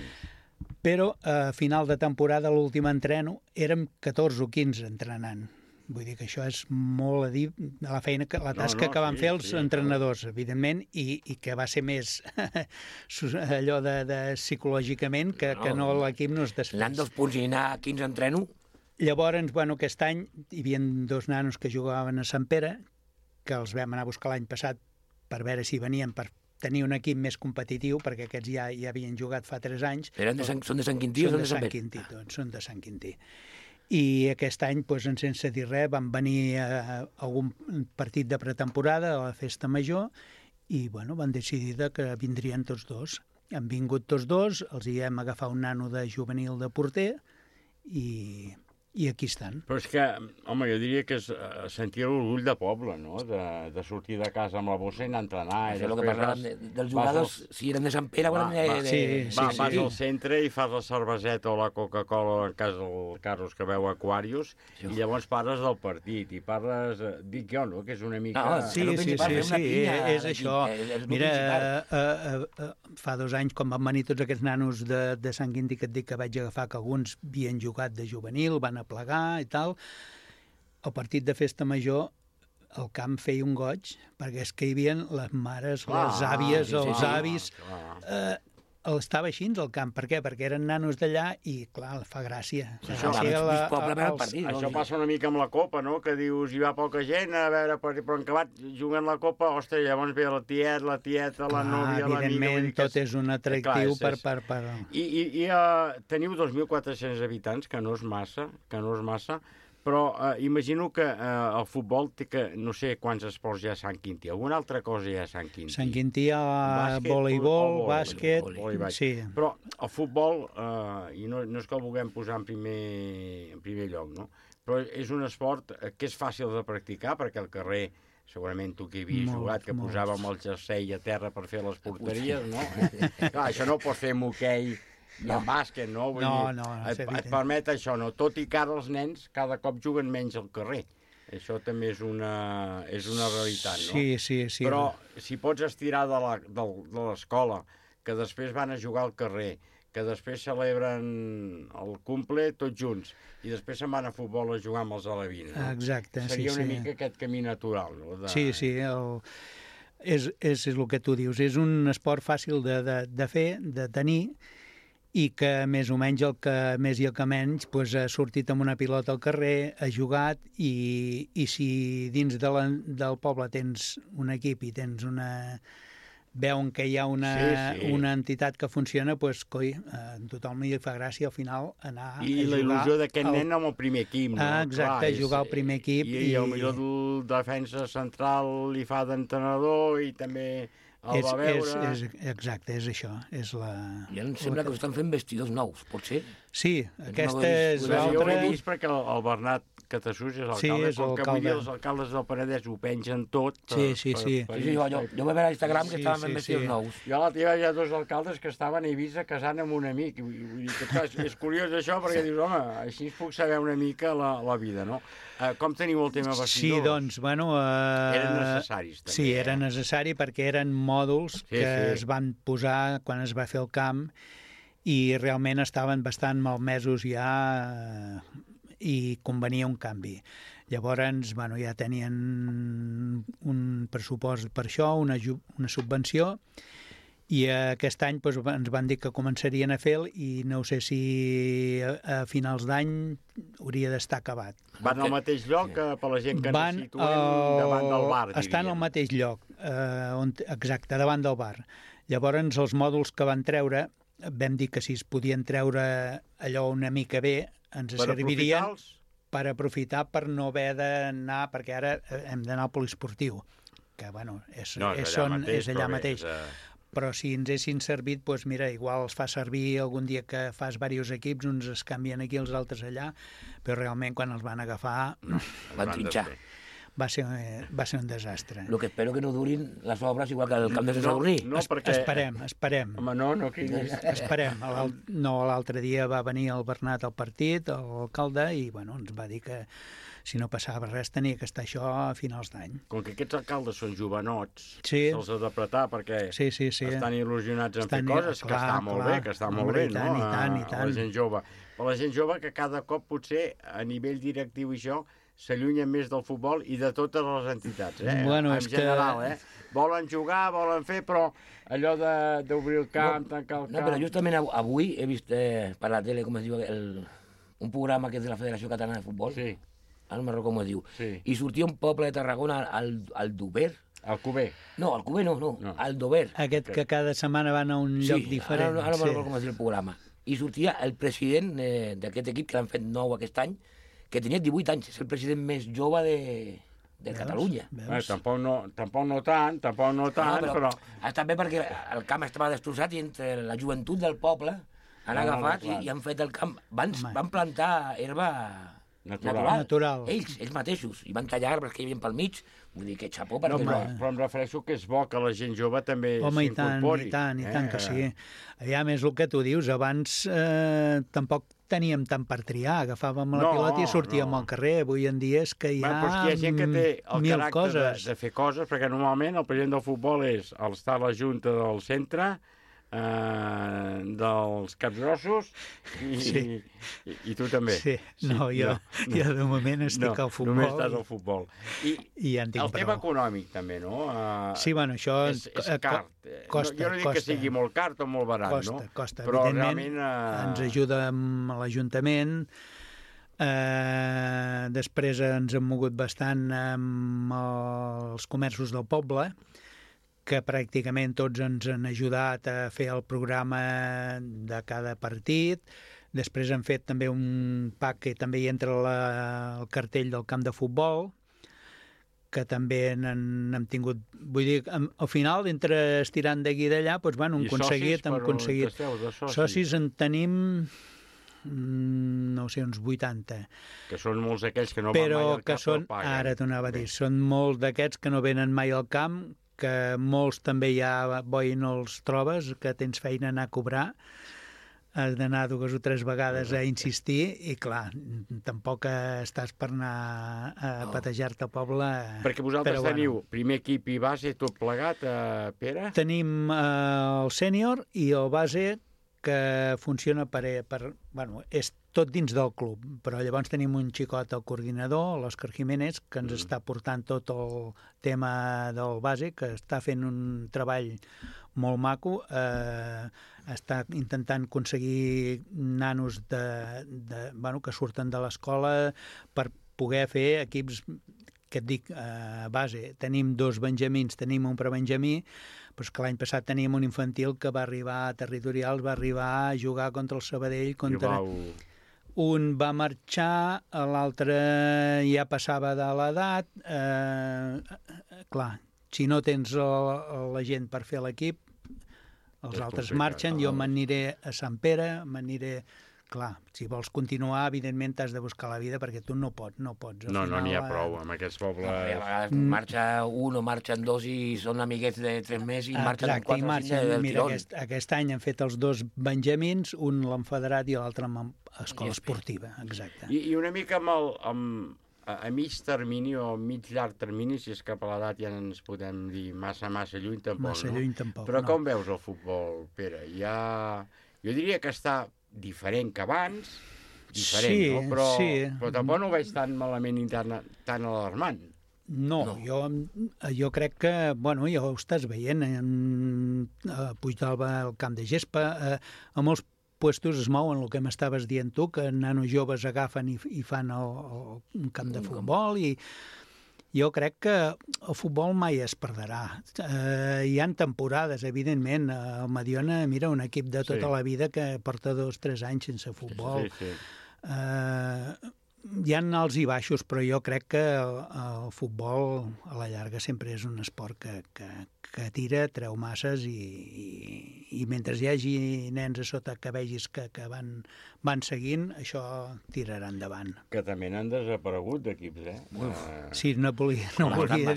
però a final de temporada, l'últim entreno, érem 14 o 15 entrenant. Vull dir que això és molt a dir de la feina, la tasca que van fer els entrenadors, evidentment, i que va ser més allò de psicològicament que no l'equip no es desfés.
Anant dels punts i anar a 15 entreno.
Llavors, aquest any hi havia 2 nanos que jugaven a Sant Pere, que els vam anar a buscar l'any passat per veure si venien per tenir un equip més competitiu, perquè aquests ja havien jugat fa 3 anys.
Són de Sant Quintí o són de Sant Pere?
Són de Sant Quintí, tots, són de Sant Quintí. I aquest any, sense dir res, van venir a algun partit de pretemporada a la Festa Major i van decidir que vindrien tots dos. Han vingut tots dos, els hi hem agafat un nano de juvenil de porter i aquí estan.
Però és que, home, jo diria que és sentir l'orgull de poble, no?, de sortir de casa amb la bossa i anar a entrenar.
Això és el que parlàvem dels jugadors, si eren de Sant Pere o eren de...
Vas al centre i fas la cerveseta o la Coca-Cola, en cas del Carlos que veu Aquarius, i llavors parles del partit, i parles... Dic jo, no?, que és una mica...
Sí, és això. Mira, fa 2 anys, quan van venir tots aquests nanos de Sant Quintí, que et dic que vaig agafar, que alguns havien jugat de juvenil, van a plegar i tal, el partit de Festa Major el camp feia un goig, perquè és que hi havia les mares, les àvies, els avis... Estava així el camp. Per què? Perquè eren nanos d'allà i, clar, fa gràcia.
Això passa una mica amb la Copa, no?, que dius, hi va poca gent, a veure, però en acabat jugant la Copa, ostres, llavors ve la tieta, la núvia, l'amiga...
Evidentment, tot és un atractiu per...
I teniu 2.400 habitants, que no és massa, però imagino que el futbol té que... No sé quants esports hi ha a Sant Quintí. Alguna altra cosa hi ha a Sant Quintí?
Sant Quintí hi ha voleibol, bàsquet... Sí.
Però el futbol, i no és que el vulguem posar en primer lloc, no?, però és un esport que és fàcil de practicar, perquè al carrer, segurament tu que hi havies jugat, que posàvem el jersei a terra per fer les porteries, no? Clar, això no ho pots fer amb hoquei i en bàsquet, no? Et permet això, no? Tot i que ara els nens cada cop juguen menys al carrer. Això també és una realitat, no?
Sí.
Però si pots estirar de l'escola, que després van a jugar al carrer, que després celebren el cumple tots junts, i després se'n van a futbol a jugar amb els alevins, no?
Exacte, sí.
Seria una mica aquest camí natural, no?
Sí, és el que tu dius. És un esport fàcil de fer, de tenir, i que més o menys el que més i el que menys ha sortit amb una pilota al carrer, ha jugat, i si dins del poble tens un equip i tens veuen que hi ha una entitat que funciona, coi, a tothom li fa gràcia al final anar a jugar...
I la il·lusió d'aquest nen amb el primer equip, no?
Exacte, jugar al primer equip.
I potser el defensa central li fa d'entrenador i també...
Exacte, és això.
I em sembla que estan fent vestidors nous, pot ser?
Sí, aquesta és l'altra...
Jo ho he vist perquè el Bernat Catasús és alcalde, com que avui els alcaldes del Penedès ho pengen tot.
Sí. Jo vaig veure a Instagram que estaven fent vestidors nous.
Jo a la teva hi ha 2 alcaldes que estaven a Eivissa casant amb un amic. És curiós això perquè dius, home, així puc saber una mica la vida, no? Com teniu el tema vestidors?
Sí, doncs,
eren necessaris, també.
Sí, era necessari perquè eren mòduls que es van posar quan es va fer el camp i realment estaven bastant malmesos ja i convenia un canvi. Llavors, ja tenien un pressupost per això, una subvenció, i aquest any ens van dir que començarien a fer i no sé si a finals d'any hauria d'estar acabat.
Van al mateix lloc per la gent que ens situem davant del bar, diríem.
Estan al mateix lloc, exacte, davant del bar. Llavors els mòduls que van treure, vam dir que si es podien treure allò una mica bé, ens servirien per aprofitar per no haver d'anar, perquè ara hem d'anar al poliesportiu, que és allà mateix. Però si ens haguessin servit, doncs mira, igual els fa servir algun dia que fas diversos equips, uns es canvien aquí, els altres allà, però realment quan els van agafar...
Van trinxar.
Va ser un desastre.
El que espero que no durin les obres igual que el camp de Sant Sadurní.
No, perquè...
Esperem.
Home, no cridis.
Esperem. L'altre dia va venir el Bernat al partit, l'alcalde, i ens va dir que si no passava res tenia que estar això a finals d'any.
Com que aquests alcaldes són jovenots,
se'ls
ha d'apretar perquè estan il·lusionats en fer coses, que està molt bé, no?
I tant.
La gent jove. Però la gent jove que cada cop potser a nivell directiu i això s'allunyen més del futbol i de totes les entitats,
Bueno,
en general, Volen jugar, volen fer, però allò d'obrir el camp, tancar el camp...
No, però justament avui he vist per la tele, com es diu, un programa que és de la Federació Catalana de Futbol,
sí.
Ara no me'n recordo com es diu,
sí.
I sortia un poble de Tarragona, el Dover.
El Cuber.
No, el Cuber no, el Dover.
Aquest que cada setmana van a un lloc diferent.
Ara no me'n recordo com es diu el programa. I sortia el president d'aquest equip, que l'han fet nou aquest any, que tenia 18 anys, és el president més jove de Catalunya.
Tampoc no tant, però...
Està bé perquè el camp estava destrossat i entre la joventut del poble han agafat i han fet el camp. Van plantar herba natural. Ells mateixos. I van tallar arbres que hi havia pel mig. Vull dir que xapó perquè...
Però em refereixo que és bo que la gent jove també s'incorpori.
Home, i tant que sí. Ja més el que tu dius, abans tampoc teníem tant per triar, agafàvem la pilota i sortíem al carrer. Avui en dia és que hi ha
gent que té el
mil
caràcter
coses.
de fer coses, perquè normalment el president del futbol està a la junta del centre, dels capgrossos i tu també.
Sí, no, jo de moment estic al futbol.
Només estàs al futbol.
I ja en tinc
el tema econòmic també, no?
Sí, bueno, això
és car. Jo no dic que sigui molt car o molt barat, no?
Costa.
Però
realment ens ajuda amb l'Ajuntament. Després ens hem mogut bastant amb els comerços del poble, que pràcticament tots ens han ajudat a fer el programa de cada partit. Després hem fet també un pack que també hi entra el cartell del camp de futbol, que també n'hem tingut... Vull dir, al final, entre estirant d'aquí i d'allà, doncs, bueno, hem aconseguit... Socis en tenim... no sé, uns 80.
Que són molts d'aquells que no van mai al camp, però paguen.
Ara t'ho anava a dir, són molts d'aquests que no venen mai al camp, que molts també ja boi no els trobes, que tens feina a anar a cobrar, has d'anar 2 o 3 vegades a insistir i, clar, tampoc estàs per anar a patejar-te al poble.
Perquè vosaltres teniu primer equip i base tot plegat, Pere?
Tenim el sènior i el base, que funciona bueno, és tot dins del club, però llavors tenim un xicot, el coordinador, l'Òscar Jiménez, que ens està portant tot el tema del base, que està fent un treball molt maco, està intentant aconseguir nanos que surten de l'escola per poder fer equips, que et dic, base. Tenim 2 benjamins, tenim un prebenjamí, però que l'any passat teníem un infantil que va arribar a territorials, va arribar a jugar contra el Sabadell, un va marxar, l'altre ja passava de l'edat. Clar, si no tens la gent per fer l'equip, els altres marxen, jo m'aniré a Sant Pere, Clar, si vols continuar, evidentment t'has de buscar la vida perquè tu no pots.
No n'hi ha prou amb aquests pobles.
A vegades marxa un o marxen 2 i són amiguets de 3 mesos i marxen 4 o 5 del tirón.
Aquest any han fet els 2 benjamins, un l'han federat i l'altre amb escola esportiva, exacte.
I una mica a mig termini o mig llarg termini, si és cap a l'edat ja no ens podem dir massa lluny tampoc,
massa lluny tampoc,
però com veus el futbol, Pere? Jo diria que està diferent que abans, no? Però tampoc no ho veig tan malament i tan alarmant.
No, jo crec que, bueno, ja ho estàs veient, a Puigdàlber, al camp de gespa, a molts puestos es mouen el que m'estaves dient tu, que nanos joves agafen i fan un camp de futbol i jo crec que el futbol mai es perdrà. Hi ha temporades, evidentment. El Mediona, mira, un equip de tota la vida que porta 2 o 3 anys sense futbol. Hi ha alts i baixos, però jo crec que el futbol a la llarga sempre és un esport que tira, treu masses i mentre hi hagi nens a sota que vegis que van seguint, això tirarà endavant.
Que també n'han desaparegut d'equips,
Sí, no volia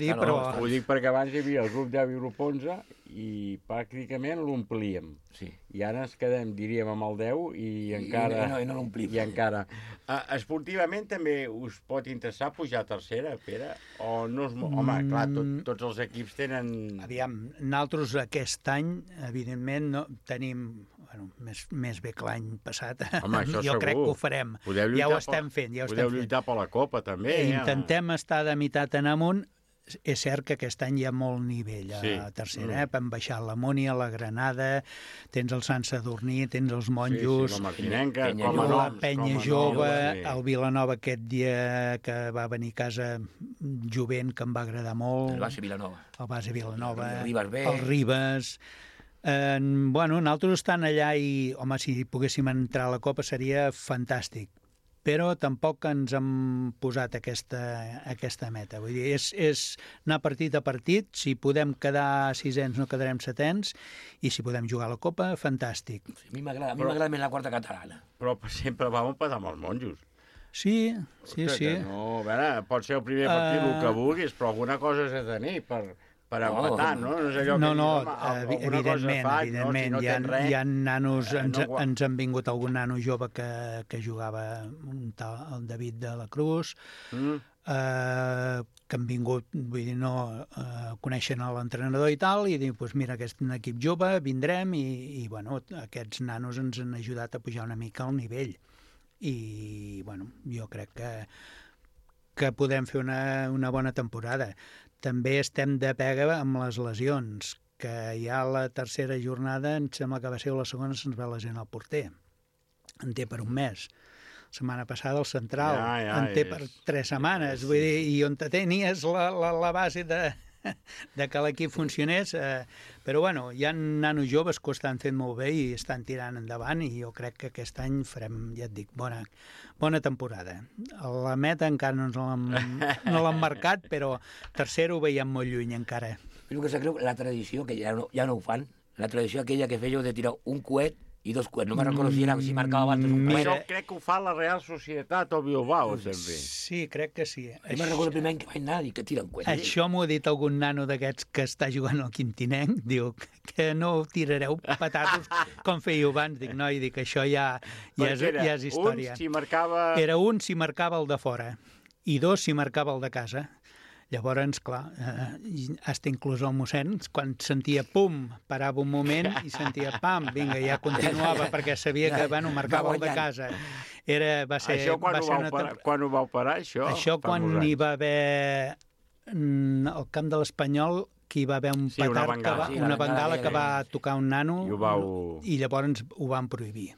dir, però...
Ho dic perquè abans hi havia el grup 10 i el grup 11 i pràcticament l'omplíem.
Sí.
I ara ens quedem, diríem, amb el 10 i encara...
I no l'omplim.
I encara... Esportivament també us pot interessar pujar a tercera, Pere? O no us... Home, clar, tots els equips tenen...
Aviam, nosaltres aquest any, evidentment, no tenim... Bueno, més bé que l'any passat.
Home, això
jo
segur.
Crec que ho farem. Ja ho estem fent.
Podeu lluitar per la Copa, també.
Intentem estar de meitat en amunt. És cert que aquest any hi ha molt nivell a tercera, hem baixat la Múnia, la Granada, tens el Sant Sadurní, tens els Monjos, la Penya Jove, el Vilanova aquest dia que va venir a casa jovent, que em va agradar molt.
El base Vilanova.
El Ribes. Bueno, nosaltres estan allà i, home, si poguéssim entrar a la Copa seria fantàstic. Però tampoc ens hem posat aquesta meta. Vull dir, és anar partit a partit, si podem quedar sisens no quedarem setens, i si podem jugar a la Copa, fantàstic.
A mi m'agrada més la quarta catalana.
Però sempre vam empatar amb els Monjos.
Sí.
No, a veure, pot ser el primer partit el que vulguis, però alguna cosa has de tenir per empatar, no?
Evidentment. Hi ha nanos, ens han vingut algun nano jove que jugava un tal, el David de la Cruz, que han vingut, vull dir, coneixen l'entrenador i tal, i diuen, doncs mira, aquest és un equip jove, vindrem, i bueno, aquests nanos ens han ajudat a pujar una mica al nivell. I, bueno, jo crec que podem fer una bona temporada. També estem de pega amb les lesions, que ja la tercera jornada, em sembla que va ser la segona, se'ns va lesionar el porter. En té per un mes. La setmana passada el central, en té per 3 setmanes. Vull dir, i on tenies la base de que l'equip funcionés, però bueno, hi ha nanos joves que ho estan fent molt bé i estan tirant endavant, i jo crec que aquest any farem, ja et dic, bona temporada. La meta encara no l'hem marcat, però tercer ho veiem molt lluny encara.
El que se creu, la tradició, que ja no ho fan, la tradició aquella que fèieu de tirar un coet i 2 coets. No me'n recordo si marcava abans un coet.
Això crec que ho fa la Real Societat o Bilbao, sempre.
Sí, crec que sí.
Jo me'n recordo el primer any que vaig anar i que tiren coets.
Això m'ho ha dit algun nano d'aquests que està jugant al Quintinenc, diu que no tirareu patatos com fèieu abans. Dic, no, i dic, això ja és història. Era un si marcava el de fora i 2 si marcava el de casa. Llavors, clar, hasta inclús el mossèn, quan sentia pum, parava un moment i sentia pam, vinga, ja continuava, perquè sabia que, bueno, marcava el de casa.
Això quan ho vau parar, això?
Això quan hi va haver al camp de l'Espanyol, que hi va haver un petard, una bengala que va tocar un nano, i llavors ho van prohibir.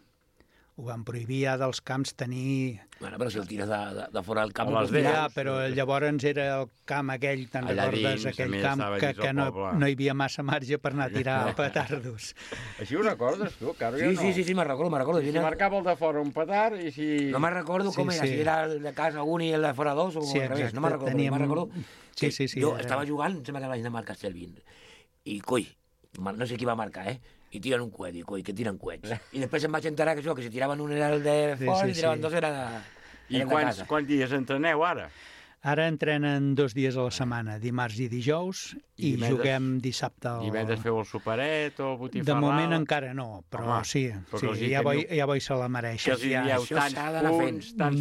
Ho van prohibir ja dels camps tenir...
Bueno, però si el tires de fora del camp...
Ja, però llavors era el camp aquell, te'n recordes, aquell camp que no hi havia massa marge per anar a tirar petardos.
Així ho recordes, tu?
Sí, me'n recordo.
Si marcava el de fora un petard i si...
No me'n recordo com era, si era el de casa un i el de fora 2 o al revés. No me'n recordo.
Sí.
Jo estava jugant, em sembla que vaig anar a marcar Castellvin. I, coi, no sé qui va marcar, i tiren un coet, i coi, que tiren coets. I després em vaig enterar que si tiraven un era el de fora i tiraven 2 era de casa.
I quants dies entreneu ara?
Ara entrenen 2 dies a la setmana, dimarts i dijous, i juguem dissabte.
Divendres feu el superet o botifarrada?
De moment encara no, però sí, ja voi se la mereix.
Que els dieu tants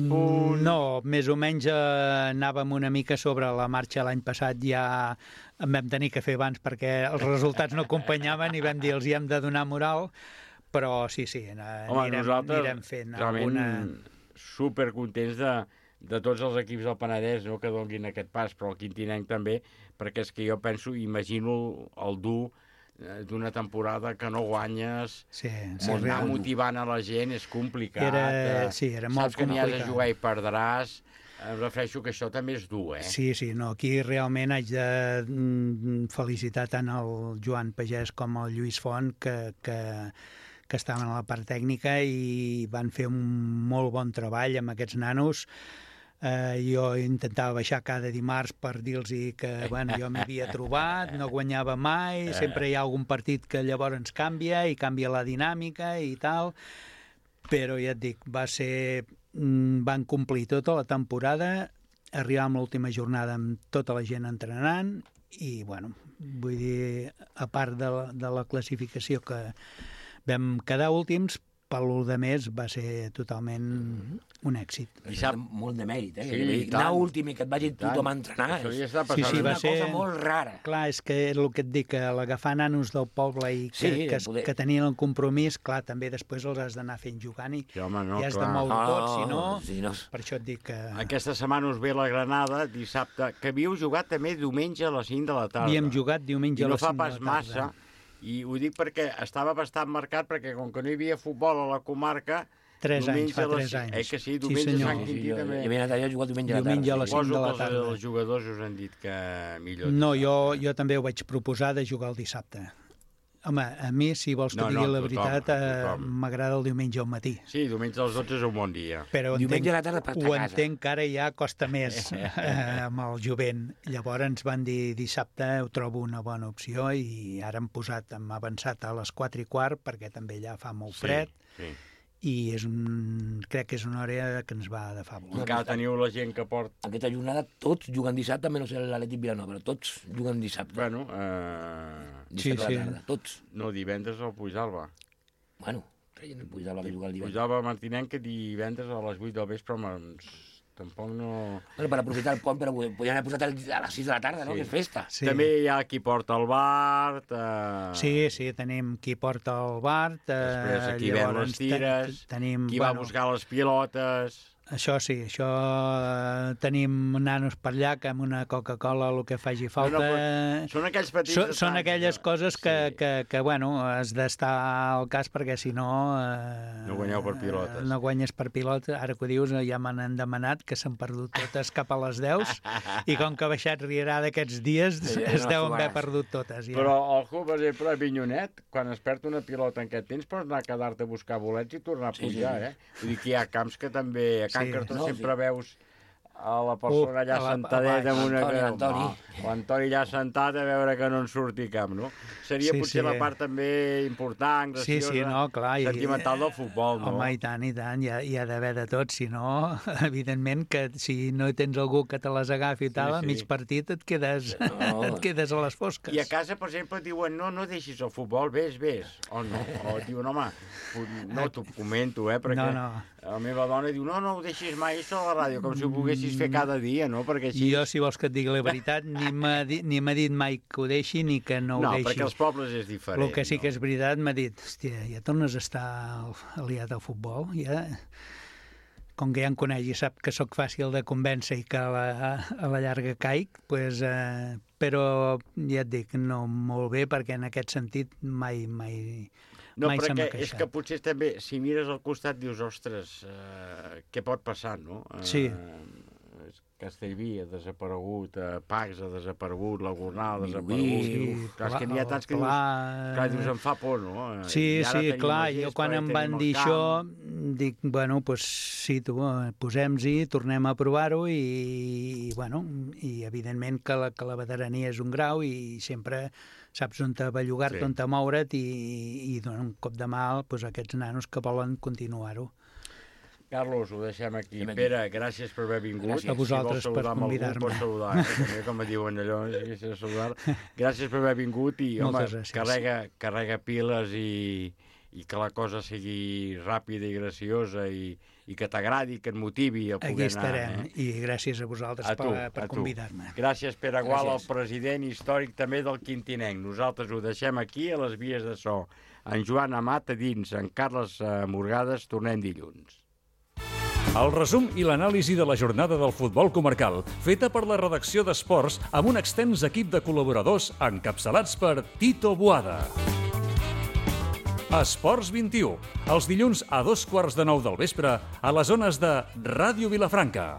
punts...
No, més o menys anàvem una mica sobre la marxa l'any passat, ja en vam tenir que fer abans perquè els resultats no acompanyaven i vam dir els hi hem de donar moral, però sí, anirem fent alguna...
Supercontents de tots els equips del Penedès, no, que donguin aquest pas, però el Quintinenc també, perquè és que jo penso, imagino el dur d'una temporada que no guanyes, anar motivant a la gent és complicat.
Era molt complicat.
Saps que n'hi has de jugar i perdràs. Em refereixo que això també és dur,
Sí, no, aquí realment haig de felicitar tant el Joan Pagès com el Lluís Font, que estaven a la part tècnica i van fer un molt bon treball amb aquests nanos. Jo intentava baixar cada dimarts per dir-los que jo m'havia trobat, no guanyava mai, sempre hi ha algun partit que llavors ens canvia i canvia la dinàmica i tal, però ja et dic, van complir tota la temporada, arribar amb l'última jornada amb tota la gent entrenant i bueno, vull dir, a part de la classificació que vam quedar últims, per lo de més va ser totalment un èxit.
I sap molt de mèrit, anar últim i que et vagi tothom a entrenar és una cosa molt rara.
Clar, és que el que et dic, que l'agafar nanos del poble i que tenien el compromís, clar, també després els has d'anar fent jugant i has de moure tot, si no, per això et dic que...
Aquesta setmana us ve la Granada, dissabte, que havíeu jugat també diumenge a les 5 de la tarda.
Havíem jugat diumenge a les 5 de la tarda.
I no fa pas massa. I ho dic perquè estava bastant marcat, perquè com que no hi havia futbol a la comarca...
3 anys, fa 3 anys.
Que sí, diumenge Sant Quintí també.
I havia anat allà a jugar diumenge a la tarda.
Diumenge a les 5 de la tarda.
Els jugadors us han dit que millor...
No, jo també ho vaig proposar de jugar el dissabte. Home, a mi, si vols que digui la veritat, m'agrada el diumenge al matí.
Sí, diumenge als 12 és un bon dia.
Però ho entenc que ara ja costa més amb el jovent. Llavors ens van dir dissabte ho trobo una bona opció i ara hem avançat a les 4:15 perquè també ja fa molt fred. I crec que és una hora que ens va de favor.
Encara teniu la gent que porta...
Aquesta jornada tots juguen dissabte, menys l'Atlètic Vilanova, però tots juguen dissabte.
Bueno,
dissabte a la tarda, tots.
No, divendres al Puigdàlber.
Bueno, creien el Puigdàlber que juga el divendres.
Puigdàlber Martinenc, que divendres a les 8 del vespre, tampoc no...
Bueno, per aprofitar el pont, però podien haver posat a les 6 de la tarda, no? Que és festa.
També hi ha qui porta el Bart...
Sí, tenim qui porta el Bart...
Després qui ven les tires, qui va buscar les pilotes...
Això sí, tenim nanos per allà que amb una Coca-Cola el que faci falta...
Són aquells petits...
Són aquelles coses que bueno, has d'estar al cas perquè si no...
No guanyeu per pilotes.
No guanyes per pilotes. Ara que ho dius, ja me n'han demanat que s'han perdut totes cap a les 10 i com que ha baixat Rierada aquests dies es deuen haver perdut totes.
Però, ojo, per exemple, a Avinyonet, quan es perd una pilota en aquest temps, pots anar a quedar-te a buscar bolets i tornar a pujar, Vull dir que hi ha camps que també... Can Cartó sempre veus a la persona allà sentadeta amb una... L'Antoni allà sentat a veure que no en surti cap, no? Seria potser la part també important, graciosa, sentimental del futbol, no?
Home, i tant, hi ha d'haver de tot, si no, evidentment que si no tens algú que te les agafi i tal, a mig partit et quedes a les fosques.
I a casa, per exemple, diuen, no deixis el futbol, vés, o no, o diuen, home, no t'ho comento, perquè la meva dona diu, no ho deixis mai això a la ràdio, com si ho poguessis fer cada dia, no?
Jo, si vols que et digui la veritat, ni m'ha dit mai que ho deixi ni que no ho deixi.
No, perquè els pobles és diferent.
El que sí que és veritat, m'ha dit, hòstia, ja tornes a estar aliat al futbol, ja... Com que ja em coneix i sap que sóc fàcil de convèncer i que a la llarga caic, però ja et dic, no molt bé, perquè en aquest sentit mai se m'ha queixat.
És que potser també, si mires al costat, dius, ostres, què pot passar, no?
Sí.
Castellví ha desaparegut, Pacs ha desaparegut, la Gornal ha desaparegut... Clar, és que n'hi ha tants que dius, em fa por, no?
Sí, clar, jo quan em van dir això, dic, bueno, doncs sí, posem-hi, tornem a provar-ho i evidentment que la veterania és un grau i sempre saps on te bellugar-te, on te moure't i donar un cop de mà a aquests nanos que volen continuar-ho.
Carlos, ho deixem aquí. Pere, gràcies per haver vingut.
A vosaltres per convidar-me.
Pots saludar, també, com diuen allò, gràcies per haver vingut i, home, carrega piles i que la cosa sigui ràpida i graciosa i que t'agradi, que et motivi a poder anar.
Aquí estarem, i gràcies a vosaltres per convidar-me.
Gràcies, Pere Gual, el president històric també del Quintinenc. Nosaltres ho deixem aquí, a les vies de so. En Joan Amat a dins, en Carles Morgades, tornem dilluns.
El resum i l'anàlisi de la jornada del futbol comarcal, feta per la redacció d'Esports amb un extens equip de col·laboradors encapçalats per Tito Boada. Esports 21, els dilluns a 2:15 del vespre a les zones de Ràdio Vilafranca.